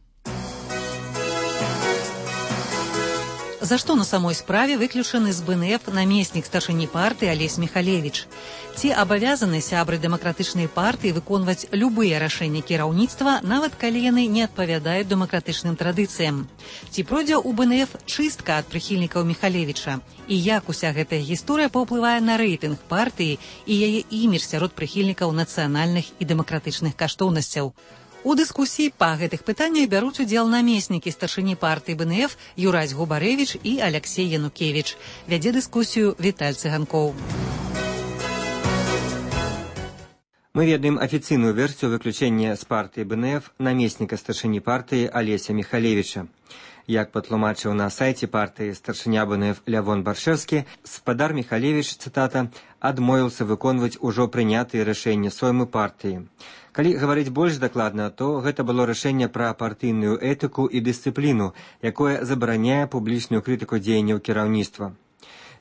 За што на самой справе выключаны з БНФ намеснік старшыні партыі Алесь Міхалевіч? Ці абавязаны сябры дэмакратычнай партыі выконваць любыя рашэнні кіраўніцтва, нават калі яны не адпавядаюць дэмакратычным традыцыям? Ці пройдзе ў БНФ чыстка ад прыхільнікаў Міхалевіча? І як уся гэтая гісторыя паўплывае на рэйтынг партыі і яе імідж сярод прыхільнікаў нацыянальных і дэмакратычных каштоўнасцяў? У дыскусіі па гэтых пытаннях бяруць удзел намеснікі старшыні партыі БНФ Юрась Губарэвіч і Аляксей Янукевіч. Вядзе дыскусію Віталь Цыганкоў. Мы ведаем афіцыйную версію выключэння з партыі БНФ намесніка старшыні партыі Алеся Міхалевіча. Як патлумачыў на сайце партыі старшыня БНФ Лявон Баршэўскі, спадар Міхалевіч, цытата, адмовіўся выконваць ужо прынятыя рашэнні соймы партыі. Калі гаварыць больш дакладна, то гэта было рашэнне пра партыйную этыку і дысцыпліну, якое забараняе публічную крытыку дзеянняў кіраўніцтва.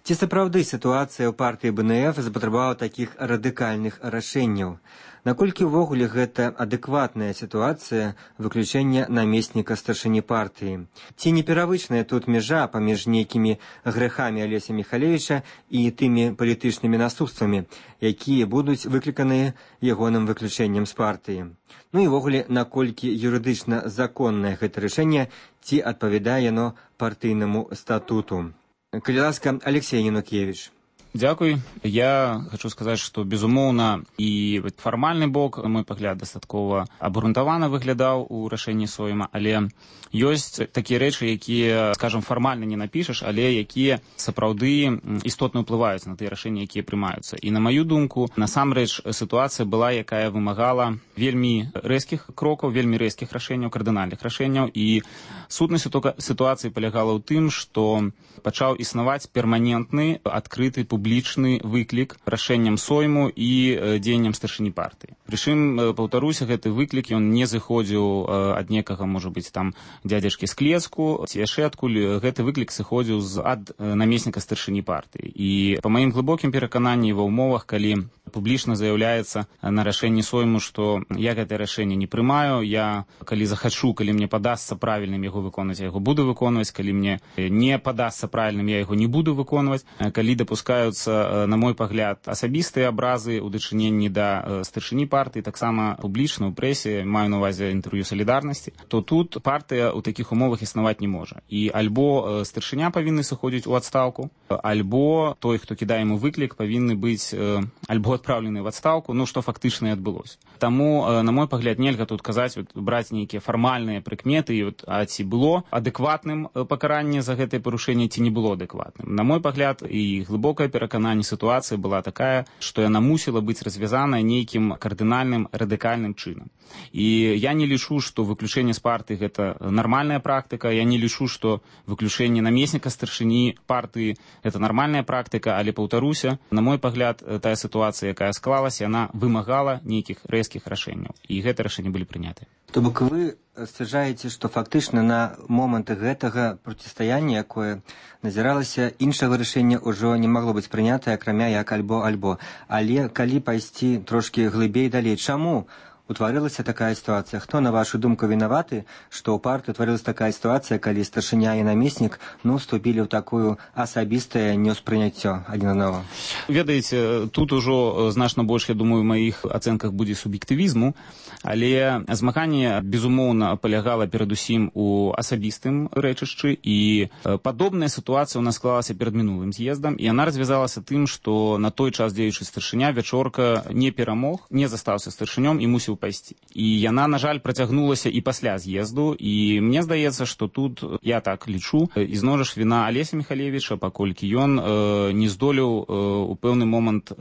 Ці сапраўды сітуацыя ў партыі БНФ запатрабавала такіх радыкальных рашэнняў? Наколькі ўвогуле гэта адэкватная сітуацыя выключэння намесніка старшыні партыі? Ці не перавычная тут мяжа паміж нейкімі грэхамі Алеся Міхалевіча і тымі палітычнымі наступствамі, якія будуць выкліканыя ягоным выключэннем з партыі? Ну і ўвогуле, наколькі юрыдычна законнае гэта рашэнне, ці адпавядае яно партыйнаму статуту? Калі ласка, Алексей Янукевіч. Дзякуй. Я хочу сказаць, што, безумоўна, і фармальны бок, мой пагляд, дастаткова абгрунтавана выглядаў у рашэнні сойма, але ёсць такія рэчы, якія, скажам, фармальна не напішаш, але якія сапраўды істотна ўплываюць на тыя рашэнні, якія прымаюцца. І на маю думку, насамрэч, сітуацыя была, якая вымагала вельмі рэзкіх крокаў, вельмі рэзкіх рашэнняў, кардынальных рашэнняў, і сутнасць сітуацыі палягала ў тым, што пачаў існаваць перманентны, адкрыты, публічны выклік рашэнням сойму і дзеянням старшыні партыі. Прычым, паўтаруся, гэты выклік, ён не зыходзіў ад некага, можа быць, там, дзядзячкі з клецку, ці яшчэ адкуль. Гэты выклік сыходзіў ад намесніка старшыні партыі. І па маім глыбокім перакананні ва ўмовах, калі публічна заяўляецца на рашэнні сойму, што я гэтае рашэнне не прымаю, я, калі захачу, калі мне падасца правільным яго выконваць, я яго буду выконваць, калі мне не падасца правільным, я яго не буду выконваць, калі дапускаюцца, на мой пагляд, асабістыя абразы ў дачыненні да старшыні партыі, таксама публічна ў прэсе, маю на ўвазе інтэрв'ю салідарнасці, то тут партыя ў такіх умовах існаваць не можа. І альбо старшыня павінны сыходзіць у адстаўку, альбо той, хто кідае яму выклік, павінны быць альбо адпраўлены в адстаўку, ну, што фактычна і адбылося. Таму, на мой пагляд, нельга тут казаць, браць нейкія фармальныя прыкметы, а ці было адэкватным пакаранне за гэтае парушэнне, ці не было адэкватным. На мой пагляд, і глыбокае перакананне, сітуацыя была такая, што яна мусіла быць развязаная нейкім кардынальным, радыкальным чынам. І я не лічу, што выключэнне з партыі гэта нармальная практыка, я не лічу, што выключэнне намесніка старшыні партыі гэта нармальная практыка, але, паўтаруся, на мой пагляд, тая сітуацыя, якая склалася, яна вымагала нейкіх рэзкіх рашэнняў. І гэтыя рашэнні былі прыняты. То бок вы сцвярджаеце, што фактычна на момант гэтага процістаяння, якое назіралася, іншага рашэння ўжо не магло быць прынятае, акрамя як альбо-альбо. Але калі пайсці трошкі глыбей далей, чаму утварылася такая ситуация. Хто, на вашу думку, виноваты, что у партии утварилась такая ситуация, калі старшыня и намеснік вступили в такую асабістае неўспрыняццё адзін аднаго? Ведаеце, тут ужо значна больш, я думаю, в маіх ацэнках будзе суб'ектывізму, але змаганне, безумоўна, палягала перадусім у асабістым рэчышчы, і падобная сітуацыя ў нас склалася перад мінулым з'ездам, і яна развязалася тым, што на той час дзеючы старшыня Вячорка не перамог, не застаўся старшынём і мусіў пайсці. І яна, на жаль, працягнулася і пасля з'езду, і мне здаецца, што тут, я так лічу, ізноў жа віна Алеся Михалевіча, паколькі ён не здолеў у пэўны момант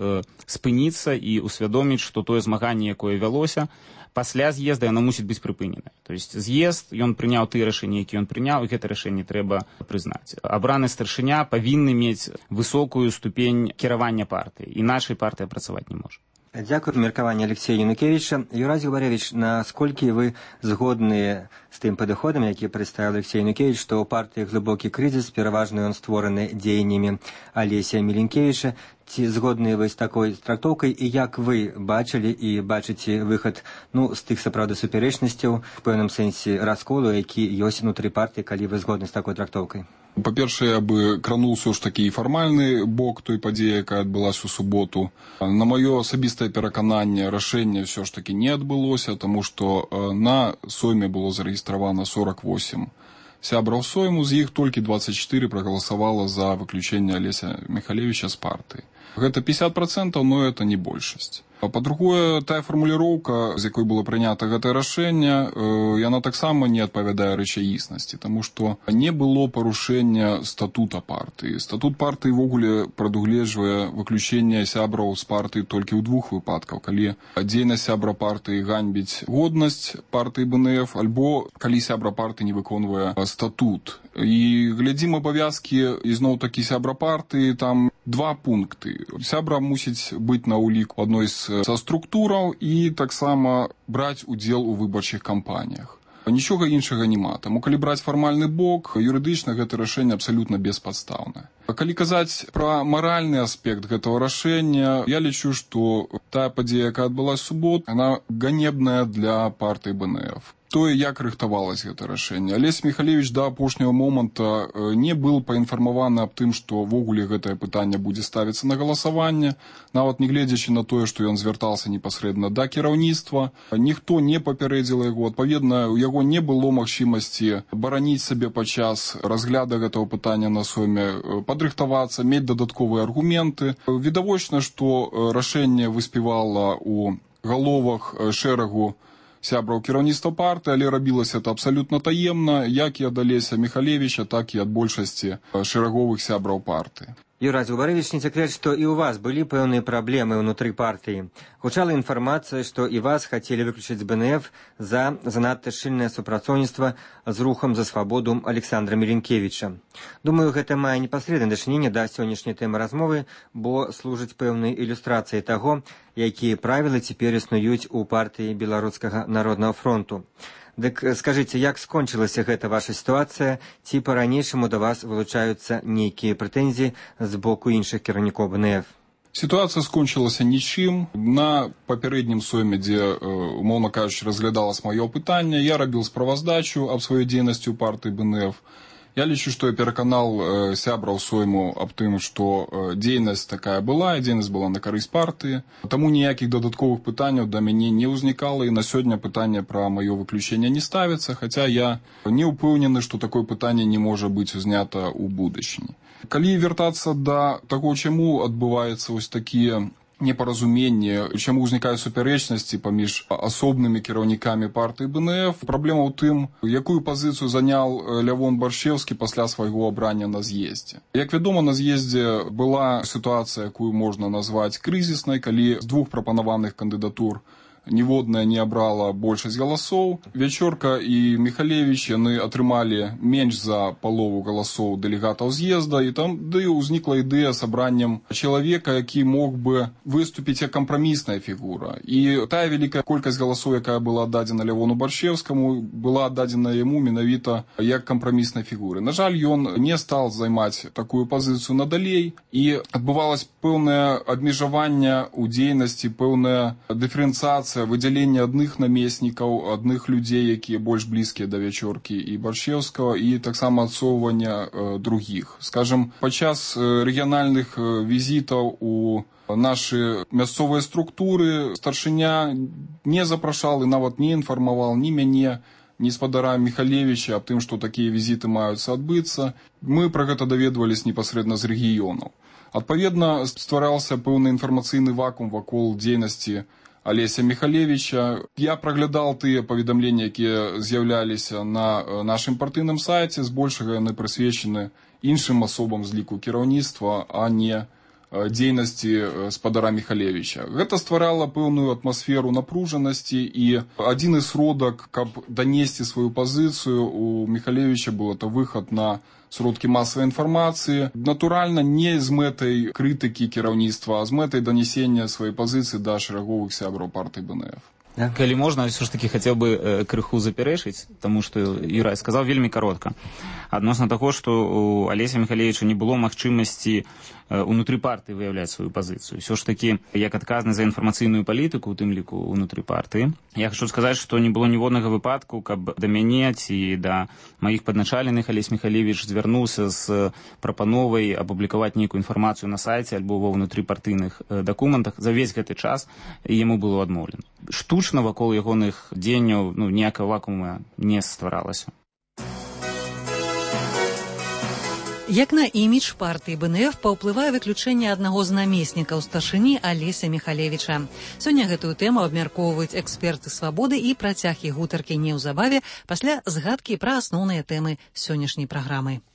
спыніцца і усвядоміць, што тое змаганне, якое вялося, пасля з'езда яно мусіць быць прыпынена. То есть з'езд, ён прыняў тыя рашэнні, якія ён прыняў, і гэта рашэнне трэба прызнаць. Абраны старшыня павінны мець высокую ступень кіравання партыі, іначай партыя працаваць не можа. Дякую. Меркаванне Алексея Янукевича. Юрий Губаревич, насколько вы згодны з тым падыходам, які прадставіў Алексей Янукевич, што ў партыі глыбокі крызіс, пераважна ён створаны дзеяннямі Алесія Міленкевіча? Ці згодны вы з такой трактоўкай, і як вы бачылі і бачыце выхад з тых сапраўды супярэчнасцяў, в пэўным сэнсе расколу, які ёсць унутры партыі, калі вы згодны з такой трактоўкай? Па-першае, я бы крануў ўсё ж такі фармальны бок той падзеі, якая адбылася ў суботу. На маё асабістае перакананне, рашэнне ўсё ж такі не адбылося, таму што на Сойме было зарэгістравана 48 сябраў Сойму, з іх толькі 24 прагаласавала за выключэнне Алеся Михалевича з партыі. Гэта 50%, но это не большасць. Па-другое, тая фармуліроўка, з якой было прынята гэтае рашэнне, яна таксама не адпавядае рэчаіснасці, таму што не было парушэння статута партыі. Статут партыі ввогуле прадугледжвае выключэнне сябраў з партыі толькі ў двух выпадках, калі дзейнасць сябра партыі ганьбіць годнасць партыі БНФ, альбо калі сябра партыі не выконвае статут. І глядзім абавязкі ізноў-такі сябра партыі, там 2 пункты. Сябра мусіць быць на ўліку адной са структураў і таксама браць удзел у выбарчых кампаніях. Нічога іншага няма. Таму калі браць фармальны бок, юрыдычна гэта рашэнне абсалютна беспадстаўнае. Калі казаць пра маральны аспект гэтага рашэння, я лічу, што тая падзея, якая адбылася ў суботу, яна ганебная для партыі БНФ. Тое, як рыхтавалася гэта рашэнне. Алесь Михалевич да апошняга моманта не быў паінфармаваны аб тым, што ввогуле гэтае пытанне будзе ставіцца на галасаванне, нават не гледзячы на тое, што ён звяртаўся непасрэдна да кіраўніцтва. Ніхто не папярэдзіла яго. Адпаведна, у яго не было магчымасці бараніць сабе падчас разгляду гэтага пытання на Сойме, падрыхтавацца, мець дадатковыя аргументы. Відавочна, што рашэнне выспявала ў галовах шэрагу сябраў кіраўніцтва партыі, але рабілася это абсалютна таемна, як і ад Алеся Михалевича, так і ад большасці шэраговых сябраў партыі. Юрий Губаревич, не секрет, что и у вас были пэўныя проблемы внутри партии. Гучала информация, что и вас хотели выключить с БНФ за занадто шчыльнае супрацоўніцтва з рухам за свабоду Александра Міленкевіча. Думаю, гэта мае непасрэднае дачыненне да сённяшняй тэмы размовы, бо служыць пэўнай ілюстрацыяй таго, якія правілы цяпер існуюць у партыі Беларускага народнага фронту. Дык скажыце, як скончылася гэта ваша сітуацыя, ці па-ранейшаму да вас вылучаюцца нейкія прэтэнзіі з боку іншых кіраўнікоў БНФ? Сітуацыя скончылася нічым. На папярэднім Сойме, дзе, умоўна кажучы, разглядалася маё пытанне, я рабіў справаздачу аб сваёй дзейнасці ў партыі БНФ. Я лічу, што я пераканаў сябраў Сойму аб тым, што дзейнасць такая была, і дзейнасць была на карысць партыі. Таму ніякіх дадатковых пытанняў да мяне не ўзнікала, і на сёння пытанне пра маё выключэнне не ставіцца, хаця я не ўпэўнены, што такое пытанне не можа быць узнята ў будучыні. Калі вяртацца да таго, чаму адбываецца вось такія непаразуменне, чаму ўзнікаюць супярэчнасці паміж асобнымі кіраўнікамі партыі БНФ. Праблема ў тым, якую пазіцыю заняў Лявон Баршчэўскі пасля свайго абрання на з'ездзе. Як вядома, на з'ездзе была сітуацыя, якую можна назваць крызіснай, калі з 2 прапанаваных кандыдатур ніводная не абрала большасць галасоў. Вячорка і Михалевич, яны атрымалі менш за палову галасоў дэлегатаў з'езда, і там ўзнікла ідэя з абраннем чалавека, які мог бы выступіць як кампрамісная фігура. І тая вялікая колькасць галасоў, якая была аддадзена Лявону Баршчэўскаму, была аддадзена яму менавіта як кампраміснай фігуры. На жаль, ён не стаў займаць такую пазіцыю надалей, і адбывалася пэўнае абмежаванне ў дзейнасці, пэўная дыферэнцыяцыя дазваляецца выдзяленне адных намеснікаў, адных людзей, якія больш блізкія да Вячоркі і Баршчеўскага, і таксама адсоўвання другіх. Скажем, падчас рэгіянальных візітаў у нашы мясцовыя структуры старшыня не запрашаў і нават не інфармаваў ні мяне, ні спадара Міхалевіча аб тым, што такія візіты маюцца адбыцца. Мы пра гэта даведвались непасрэдна з рэгіёнаў. Адпаведна, ствараўся пэўны інфармацыйны вакуум вакол дзейнасці Алеся Міхалевіча. Я праглядаў тыя паведамленні, якія з'яўляліся на нашым партыйным сайце, збольшага яны прысвечаны іншым асобам з ліку кіраўніцтва, а не дзейнасці спадара Міхалевіча. Гэта стварала пэўную атмасферу напружанасці, і адзіны сродак, каб данесці сваю пазіцыю, у Міхалевіча быў это выхад на сродкі масавай інфармацыі. Натуральна, не з мэтай крытыкі кіраўніцтва, а з мэтай данесення сваёй пазіцыі да шараговых сябраў партыі БНФ. Калі можна, все ж таки хацеў бы крыху запярэчыць, таму што Юрай сказаў вельмі каротка. Адносна таго, што у Алеся Міхалевіча не было магчымасці унутры партыі выяўляць сваю пазіцыю. Все ж таки, як адказны за інфармацыйную палітыку, у тым ліку унутры партыі, я хочу сказаць, што не было ніводнага выпадку, каб да мяне ці да маіх падначаленых Алесь Міхалевіч звярнуўся з прапановай апублікаваць нейкую інфармацыю на сайце альбо ва ўнутрыпартыйных дакументах. За ўвесь гэты час яму было адмоўлена. Штучна вакол ягоных дзеянняў ніякага вакуума не стваралася. Як на імідж партыі БНФ паўплывае выключэнне аднаго з намеснікаў старшыні Алеся Міхалевіча. Сёння гэтую тэму абмяркоўваюць эксперты «Свабоды» і працяг іх гутаркі неўзабаве пасля згадкі пра асноўныя тэмы сённяшняй праграмы.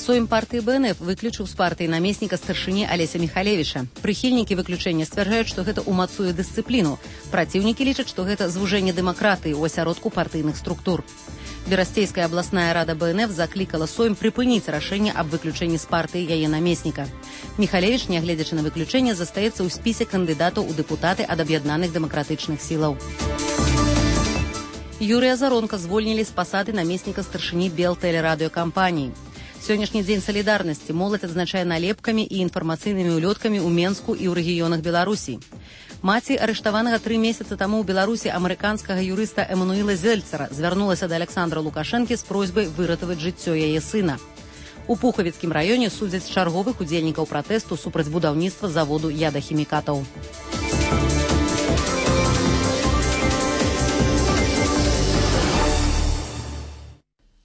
Сойм партыі БНФ выключыў з партыі намесніка старшыні Алеся Міхалевіча. Прыхільнікі выключэння сцвярджаюць, што гэта ўмацуе дысцыпліну. Праціўнікі лічаць, што гэта звужэнне дэмакратыі ў асяродку партыйных структур. Берасцейская абласная рада БНФ заклікала Сойм прыпыніць рашэнне аб выключэнні з партыі яе намесніка. Міхалевіч, нягледзячы на выключэнне, застаецца ў спісе кандыдатаў у дэпутаты ад аб'яднаных дэмакратычных сілаў. Юрыя Заронка звольнілі з пасады намесніка старшыні Белтэлерадыёкампаніі. Сённяшні дзень салідарнасці моладзь адзначае налепкамі і інфармацыйнымі ўлёткамі ў Менску і ў рэгіёнах Беларусі. Маці арыштаванага 3 месяцы таму ў Беларусі амерыканскага юрыста Эмануіла Зельцера звярнулася да Александра Лукашэнкі з просьбай выратаваць жыццё яе сына. У Пухавіцкім раёне судзяць чарговых удзельнікаў пратэсту супраць будаўніцтва заводу ядахімікатаў.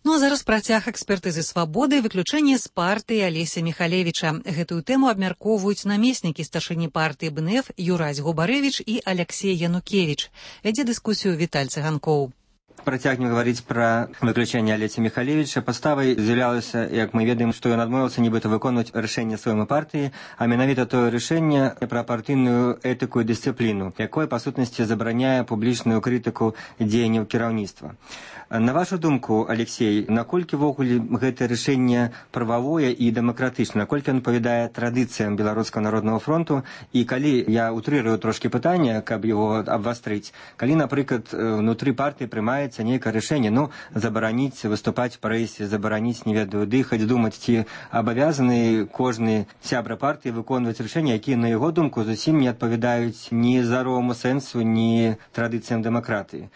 Ну а зараз працяг экспертызы «Свабоды» выключэнне з партыі Алеся Міхалевіча. Гэтую тэму абмяркоўваюць намеснікі старшыні партыі БНФ Юрась Губарэвіч і Алексей Янукевіч. Вядзе дыскусію Віталь Цыганкоў. Працягнем гаварыць пра выключэнне Алеся Міхалевіча. Паставай з'яўлялася, як мы ведаем, што ён адмовіўся нібыта выконваць рашэнне сваёй партыі, а менавіта тое рашэнне пра партыйную этыку і дысцыпліну, якое па сутнасці забараняе публічную крытыку дзеянняў кіраўніцтва. На вашу думку, Алексей, наколькі ввогуле гэтае рашэнне прававое і дэмакратычнае, наколькі ён адпавядае традыцыям Беларускага народнага фронту, і калі я утрырую трошкі пытанне, каб яго абвастрыць, калі, напрыклад, внутры партыі прымаецца нейкае рашэнне, забараніць выступаць в прэсе, забараніць, не ведаю, дыхаць, думаць, ці абавязаны кожны сябра партыі выконваць рашэнні, якія, на яго думку, зусім не адпавядаюць ні здароваму сэнсу, ні традыцыям дэмакратыі.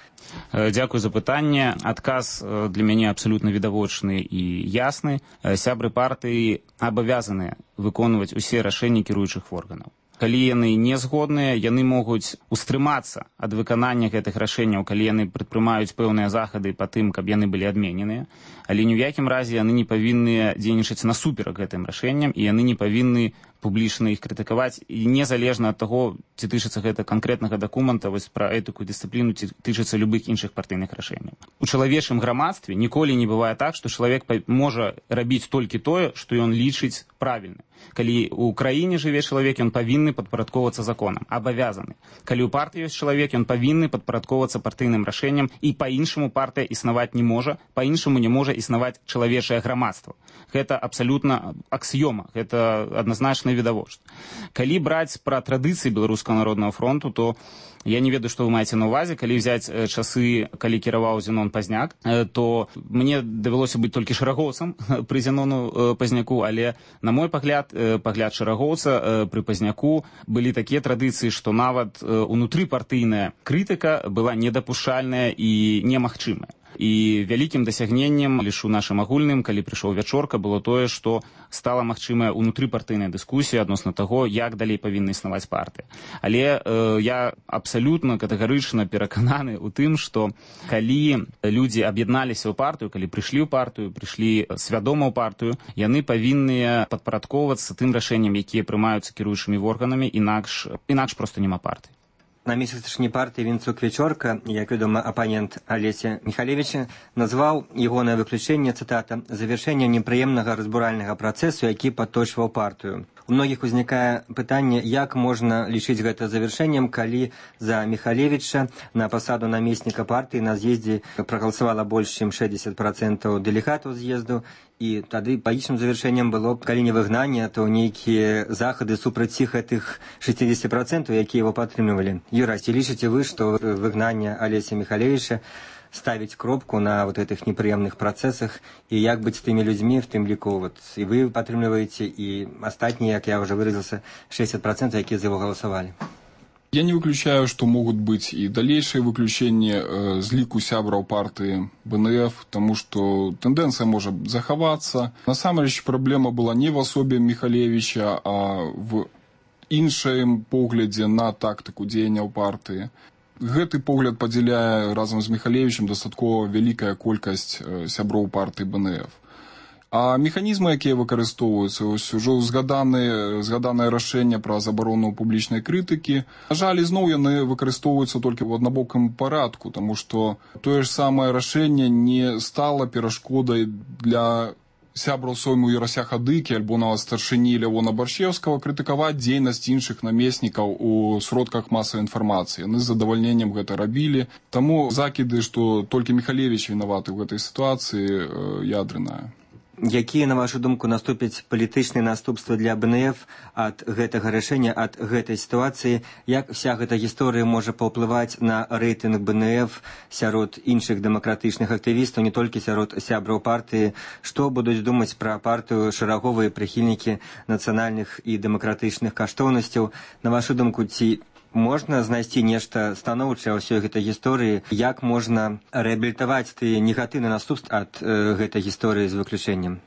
Дзякую за пытанне. Адказ для мяне абсалютна відавочны і ясны. Сябры партыі абавязаныя выконваць усе рашэнні кіруючых органаў. Калі яны не згодныя, яны могуць устрымацца ад выканання гэтых рашэнняў, калі яны прадпрымаюць пэўныя захады па тым, каб яны былі адмененыя, але ні ў якім разе яны не павінны дзейнічаць насуперак гэтым рашэнням, і яны не павінны публічна іх крытыкаваць, і незалежна ад таго, ці тычыцца гэта канкрэтнага дакумента, вось пра этыку і дысцыпліну, ці тычыцца любых іншых партыйных рашэнняў. У чалавечым грамадстве ніколі не бывае так, што чалавек можа рабіць толькі тое, што ён лічыць правільным. Калі ў краіне жыве чалавек, ён павінны падпарадковвацца законам, абавязаны. Калі ў партыі ёсць чалавек, ён павінны падпарадковвацца партыйным рашэнням, і па-іншаму партыя існаваць не можа, па-іншаму не можа існаваць чалавечае грамадства. Гэта абсалютна аксіёма, гэта адназначна відавочна. Калі браць пра традыцыі Беларускага народнага фронту, то Я не ведаю, што вы маеце на ўвазе. Калі взяць часы, калі кіраваў Зенон Пазняк, то мне давялося быць толькі шэрагоўцам пры Зенону Пазняку, але, на мой пагляд шэрагоўца пры Пазняку былі такія традыцыі, што нават унутрыпартыйная крытыка была недапушчальная і немагчымая. І вялікім дасягненнем, лишь у нашым агульным, калі прыйшоў Вячорка, было тое, што стала магчымая унутрыпартыйная дыскусія адносна таго, як далей павінна існаваць партыя. Але я абсалютна катэгарычна перакананы ў тым, што калі людзі аб'ядналіся ў партыю, калі прыйшлі ў партыю, прыйшлі свядома ў партыю, яны павінны падпарадкоўвацца тым рашэнням, якія прымаюцца кіруючымі органамі, інакш проста няма партыі. Намеснік старшыні партыі Вінцук Вячорка, як вядома, апанент Алеся Михалевича, назваў ягонае выключэнне, цытата, «завяршэннем непрыемнага разбуральнага працэсу, які падточваў партыю». У многіх узнікае пытанне, як можна лічыць гэта завяршэннем, калі за Михалевича на пасаду намесніка партыі на з'ездзе прагаласавала больш, чым 60% дэлегатаў з'езду, і тады палічным завяршэннем было б, калі не выгнанне, то нейкія захады супраць гэтых 60%, якія его падтрымлівалі. Юра, ці лічыце вы, што выгнанне Алеся Михалевича ставить кропку на вот этих неприемных процессах, и як быть с теми людьми, в тем лику, вот, и вы подтримливаете, и остальные, как я уже выразился, 60%, которые за его голосовали. Я не выключаю, что могут быть и дальнейшие выключения з ліку сябраў партии БНФ, потому что тенденция может заховаться. На самом деле проблема была не в особе Михалевича, а в іншым поглядзе на тактику дзеянняў партии. Гэты погляд падзяляе разам з Михалевичем дастаткова вялікая колькасць сяброў партыі БНФ. А механізмы, якія выкарыстоўваюцца, ўжо згаданае рашэнне пра забарону публічнай крытыкі, на жаль, ізноў яны выкарыстоўваюцца толькі ў аднабокім парадку, таму што тое ж самае рашэнне не стала перашкодай для сябраў Сойму Ярася Хадыкі альбо нават старшыні Лявона Баршчеўскага крытыкаваць дзейнасць іншых намеснікаў у сродках масавай інфармацыі. Яны з задавальненнем гэта рабілі. Таму закіды, што толькі Михалевич вінаваты ў гэтай сітуацыі, ядрыная. Якія, на вашу думку, наступяць палітычныя наступствы для БНФ ад гэтага рашэння, ад гэтай сітуацыі? Як вся гэта гісторыя можа паўплываць на рэйтынг БНФ сярод іншых дэмакратычных актывістаў, не толькі сярод сябраў партыі? Што будуць думаць пра партыю шэраговыя прыхільнікі нацыянальных і дэмакратычных каштоўнасцяў? На вашу думку, ці можна знайсці нешта станоўчае ў ўсёй гэтай гісторыі? Як можна рэабілітаваць тыя негатыўныя наступствы ад гэтай гісторыі з выключэннем?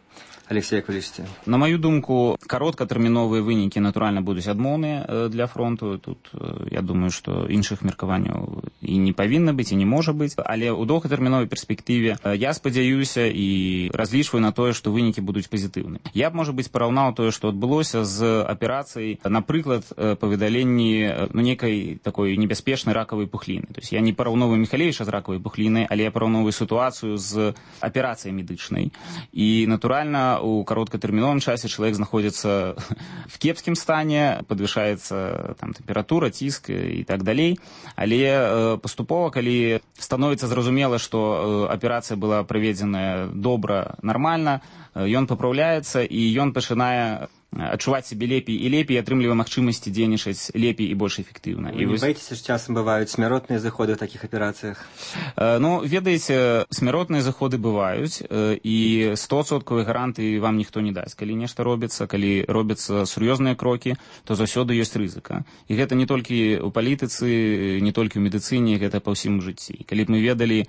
Алексей, як вы лічыце? На маю думку, кароткатэрміновыя вынікі, натуральна, будуць адмоўныя для фронту. Тут, я думаю, што іншых меркаванняў і не павінна быць, і не можа быць. Але ў доўгатэрміновай перспектыве я спадзяюся і разлічваю на тое, што вынікі будуць пазітыўныя. Я б, можа быць, параўнаў тое, што адбылося з аперацыяй, напрыклад, па выдаленні нейкай такой небяспечнай ракавай пухліны. То есть я не параўноўваю Михалевича з ракавай пухлінай, але я параўноўваю сітуацыю з аперацыяй медычнай. І, натуральна, у кароткатэрміновым часе чалавек знаходзіцца в кепскім стане, падвышаецца там тэмпература, ціск і так далей. Але паступова, калі становіцца зразумела, што аперацыя была праведзеная добра, нармальна, ён папраўляецца і ён пачынае адчуваць сябе лепей і лепей, атрымлівае магчымасці дзейнічаць лепей і больш эфектыўна. Вы не баіцеся, што часам бываюць смяротныя заходы ў такіх аперацыях? Ну, ведаеце, смяротныя заходы бываюць, і 100% гарантыі вам ніхто не дасць. Калі нешта робіцца, калі робяцца сур'ёзныя крокі, то заўсёды ёсць рызыка. І гэта не толькі ў палітыцы, не толькі ў медыцыне, гэта па ўсім жыцці. Калі б мы ведалі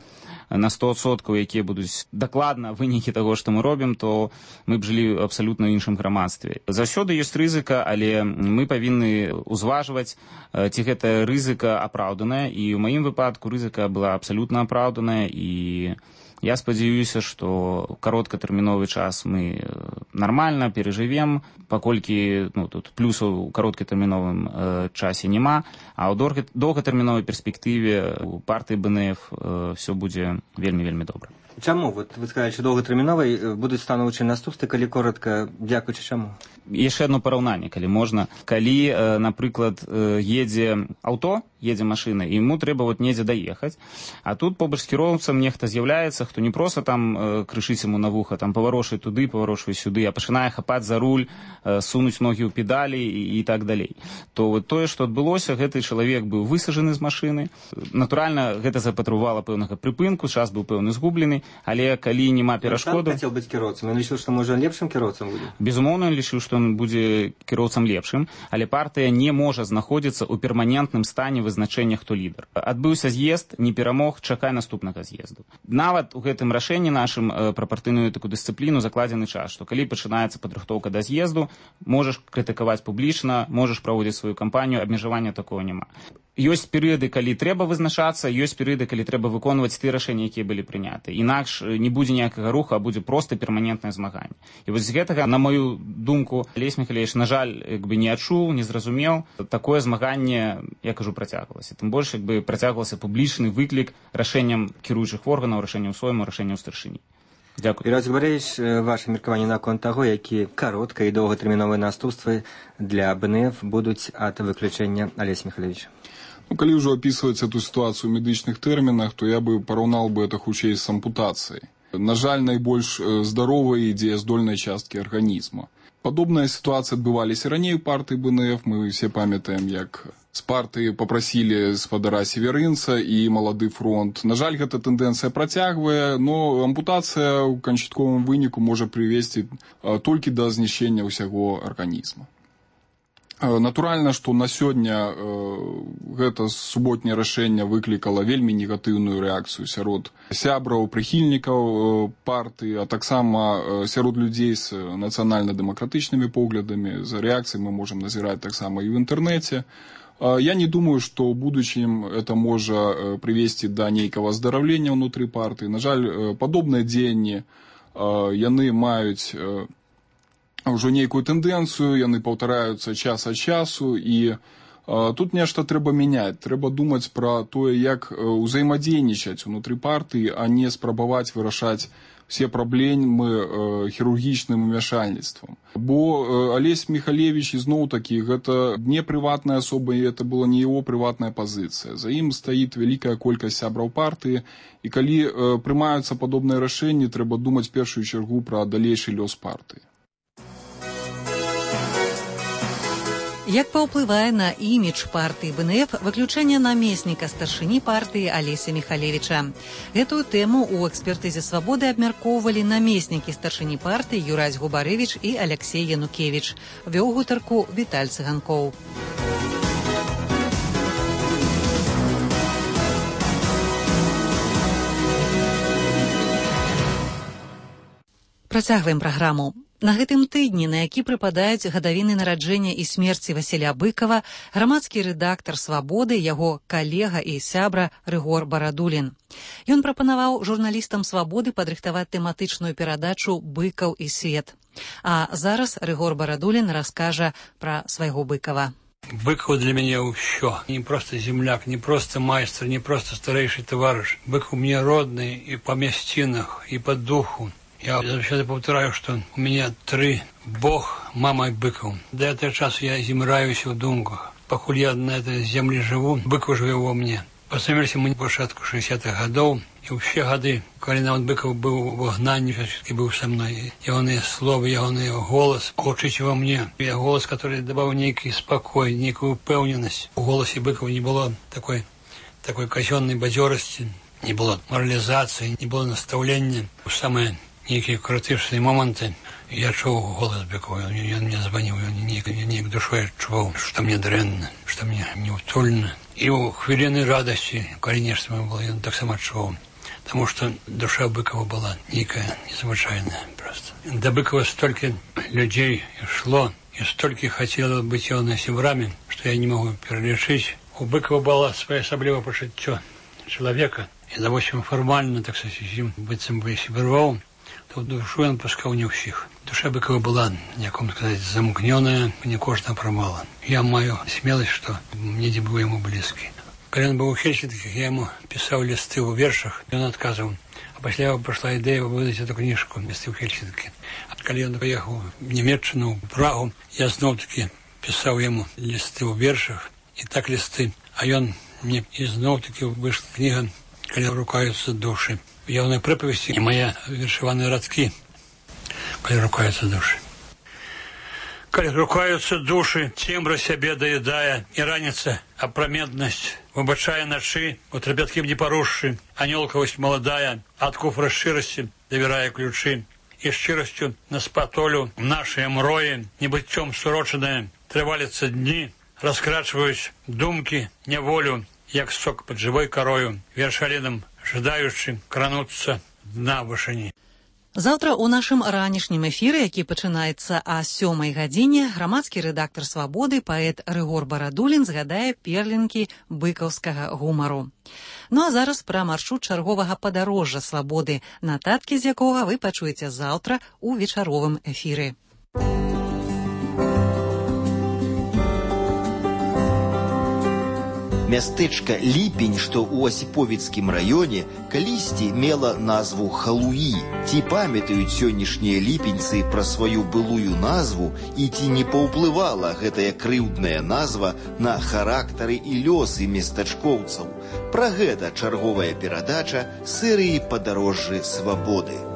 на 100%, якія будуць дакладна вынікі таго, што мы робім, то мы б жылі абсалютна ў іншым грамадстве. Заўсёды ёсць рызыка, але мы павінны ўзважваць, ці гэта рызыка апраўданая, і ў маім выпадку рызыка была абсалютна апраўданая, і я спадзяюся, што кароткатэрміновы час мы нармальна перажывем, паколькі тут плюсаў у кароткатэрміновым часе няма, а ў доўгатэрміновай перспектыве у партыі БНФ все будзе вельмі-вельмі добра. Чаму? Вот вы сказали, что доўгатэрміновай будуць станоўчыя наступствы, калі коротка, дзякуючы чаму? Яшчэ одно параўнанне, калі можна. Калі, напрыклад, едзе аўто едзе машына, і яму трэба недзе даехаць. А тут побач з кіроўцам нехта з'яўляецца, хто не проста там крышыць яму на вуха, там паварошвае туды, паварошвае сюды, а пачынае хапаць за руль, сунуць ногі ў педалі і так далей. То тое, што адбылося, гэты чалавек быў высажаны з машыны. Натуральна, гэта запатрабавала пэўнага прыпынку, час быў пэўны згублены, але калі няма перашкоду... Ён сам хацеў быць кіроўцам, ён лічыў, што можа лепшым кіроўцам будзе? Безумоўна, ён лічыў, што ён будзе кіроўцам лепшым, але партыя не можа знаходзіцца ў перманентным стане вызначэння, хто лідар. Адбыўся з'езд, не перамог, чакай наступнага з'езду. Нават у гэтым рашэнні нашым пра партыйную такую дысцыпліну закладзены час, што калі пачынаецца падрыхтоўка да з'езду, можаш крытыкаваць публічна, можаш праводзіць сваю кампанію, абмежавання такого няма. Ёсць перыяды, калі трэба вызначацца, ёсць перыяды, калі трэба выконваць тыя рашэнні, якія былі прыняты. Інакш не будзе ніякага руху, а будзе проста перманентнае змаганне. І вось з гэтага, на мою думку, Алесь Михалевич, на жаль, не адчуў, не зразумеў. Такое змаганне, я кажу, працягвалася. Тым больш, працягвалася публічны выклік рашэнням кіруючых органаў, рашэнняў Сойму, рашэнняў старшыні. Дзякую. Юрий Губаревич, ваше меркаванне наконт таго, які каротка і доўгатэрміновыя наступствы для БНФ будуць ад выключэння Алеся Михалевича? Калі ўжо опісваць эту ситуацию в медычных тэрмінах, то я бы параўнал бы это хутчэй з ампутацыяй. На жаль, найбольш здаровай і дзеяздольнай часткі арганізма. Падобная ситуацыя адбываліся раней у партыі БНФ. Мы все памятаем, як з партыі попрасілі спадара Северынца і Малады фронт. На жаль, гэта тэндэнцыя працягвае, но ампутацыя ў канчатковым выніку можа прывесці толькі да знішчэння ўсяго арганізма. Натуральна, што на сёння гэта суботняе рашэнне выклікала вельмі негатыўную рэакцыю сярод сябраў, прыхільнікаў партыі, а таксама сярод людзей з нацыянальна-дэмакратычнымі поглядамі. За рэакцыяй мы можам назіраць таксама і ў інтэрнэце. Я не думаю, што ў будучым это можа прывесці да нейкага аздараўлення ўнутры партыі. На жаль, падобныя дзеянні яны маюць ўжо нейкую тэндэнцыю, яны паўтараюцца час ад часу, і тут нешта трэба мяняць. Трэба думаць пра тое, як узаемадзейнічаць унутры партыі, а не спрабаваць вырашаць все праблемы хірургічным умяшальніцтвам. Бо Алесь Михалевич, ізноў-такі, гэта не прыватная асоба, і это была не яго прыватная пазіцыя. За ім стаіць вялікая колькасць сябраў партыі, і калі прымаюцца падобныя рашэнні, трэба думаць в першую чаргу пра далейшы лёс партыі. Як паўплывае на імідж партыі БНФ выключэнне намесніка старшыні партыі Алеся Михалевича? Гэтую тэму ў экспертызе «Свабоды» абмяркоўвалі намеснікі старшыні партыі Юрась Губарэвіч і Аляксей Янукевіч. Вёў гутарку Віталь Цыганкоў. Працягваем праграму. На гэтым тыдні, на які прыпадаюць гадавіны нараджэння і смерці Васіля Быкова, грамадскі рэдактар «Свабоды», яго калега і сябра Рыгор Барадулін. Ён прапанаваў журналістам «Свабоды» падрыхтаваць тэматычную перадачу «Быкаў і свет». А зараз Рыгор Барадулін раскажа пра свайго Быкова. Быкаў для мяне ўсё. Не проста земляк, не проста майстар, не проста старэйшы таварыш. Быкаў мне родны і па мясцінах, і па духу. Я завсёды повторяю, что у меня 3: Бог, мама и Быков. До этого часа я зимраюсь в думках. Покуль я на этой земле живу, Быков живе во мне. Познакомились мы на початку 60-х годов, и все годы, когда нават Быков был в гнании, все-таки был со мной. Его слово, его голос, учить во мне. И голос, который добавил некий спокой, некую упевненность. В голосе Быкова не было такой казенной бадьорости, не было морализации, не было наставления. Самое некие критичные моменты, я чув голос Быкова, он мне звонил, я душой чувал, что мне дрянно, что мне неутульно. И у хвилины радости, конечно, было, я так само чувал, потому что душа Быкова была некая, незвычайная просто. До Быкова столько людей шло, и столько хотело быть его сябрами, что я не могу перелечить. У Быкова было своє особливе почуття человека, и, допустим, формально, так сказать, быть сябровал, то душу он пускал не у всех. Душа Быкова была, якому сказать, замкненная, не кожна промала. Я маю смелость, что мне не был ему близкий. Когда он был у Хельсинки, я ему писал листы в вершах, и он отказывал. А после его пошла идея выдать эту книжку «Листы в Хельсинки». А когда он поехал в Немеччину, в Прагу, я снова-таки писал ему листы в вершах, и так листы. А он мне ізноў-таки вышла книга «Калі рукаюцца душы». Явная прыповесці і мае вершаваныя радкі. Калі рукаюцца душы. Калі рукаюцца душы, цемра сябе даедая, і раніца апраметнасць выбачае начы, у трапяткім не парушшы, анёлкавасць маладая, ад куфра шчырасці давярае ключы, і шчырасцю на спатолю нашыя мроі, небыццём сурочаныя, трываліцца дні, раскрачваюць думкі, няволю, як сок пад жывой карою, вершалінам жадаючы крануцца дна вышыні. Заўтра ў нашым ранішнім эфіры, які пачынаецца о 7 гадзіне, грамадскі рэдактар «Свабоды», паэт Рыгор Барадулін згадае перлінкі быкаўскага гумару. Ну а зараз пра маршрут чарговага падарожжа «Свабоды», нататкі з якога вы пачуеце заўтра ў вечаровым эфіры. Мястэчка Ліпень, што ў Асіповіцкім раёне, калісьці мела назву Халуі. Ці памятаюць сённяшнія ліпеньцы пра сваю былую назву і ці не паўплывала гэтая крыўдная назва на характары і лёсы местачкоўцаў? Пра гэта чарговая перадача серыі «Падарожжы Свабоды».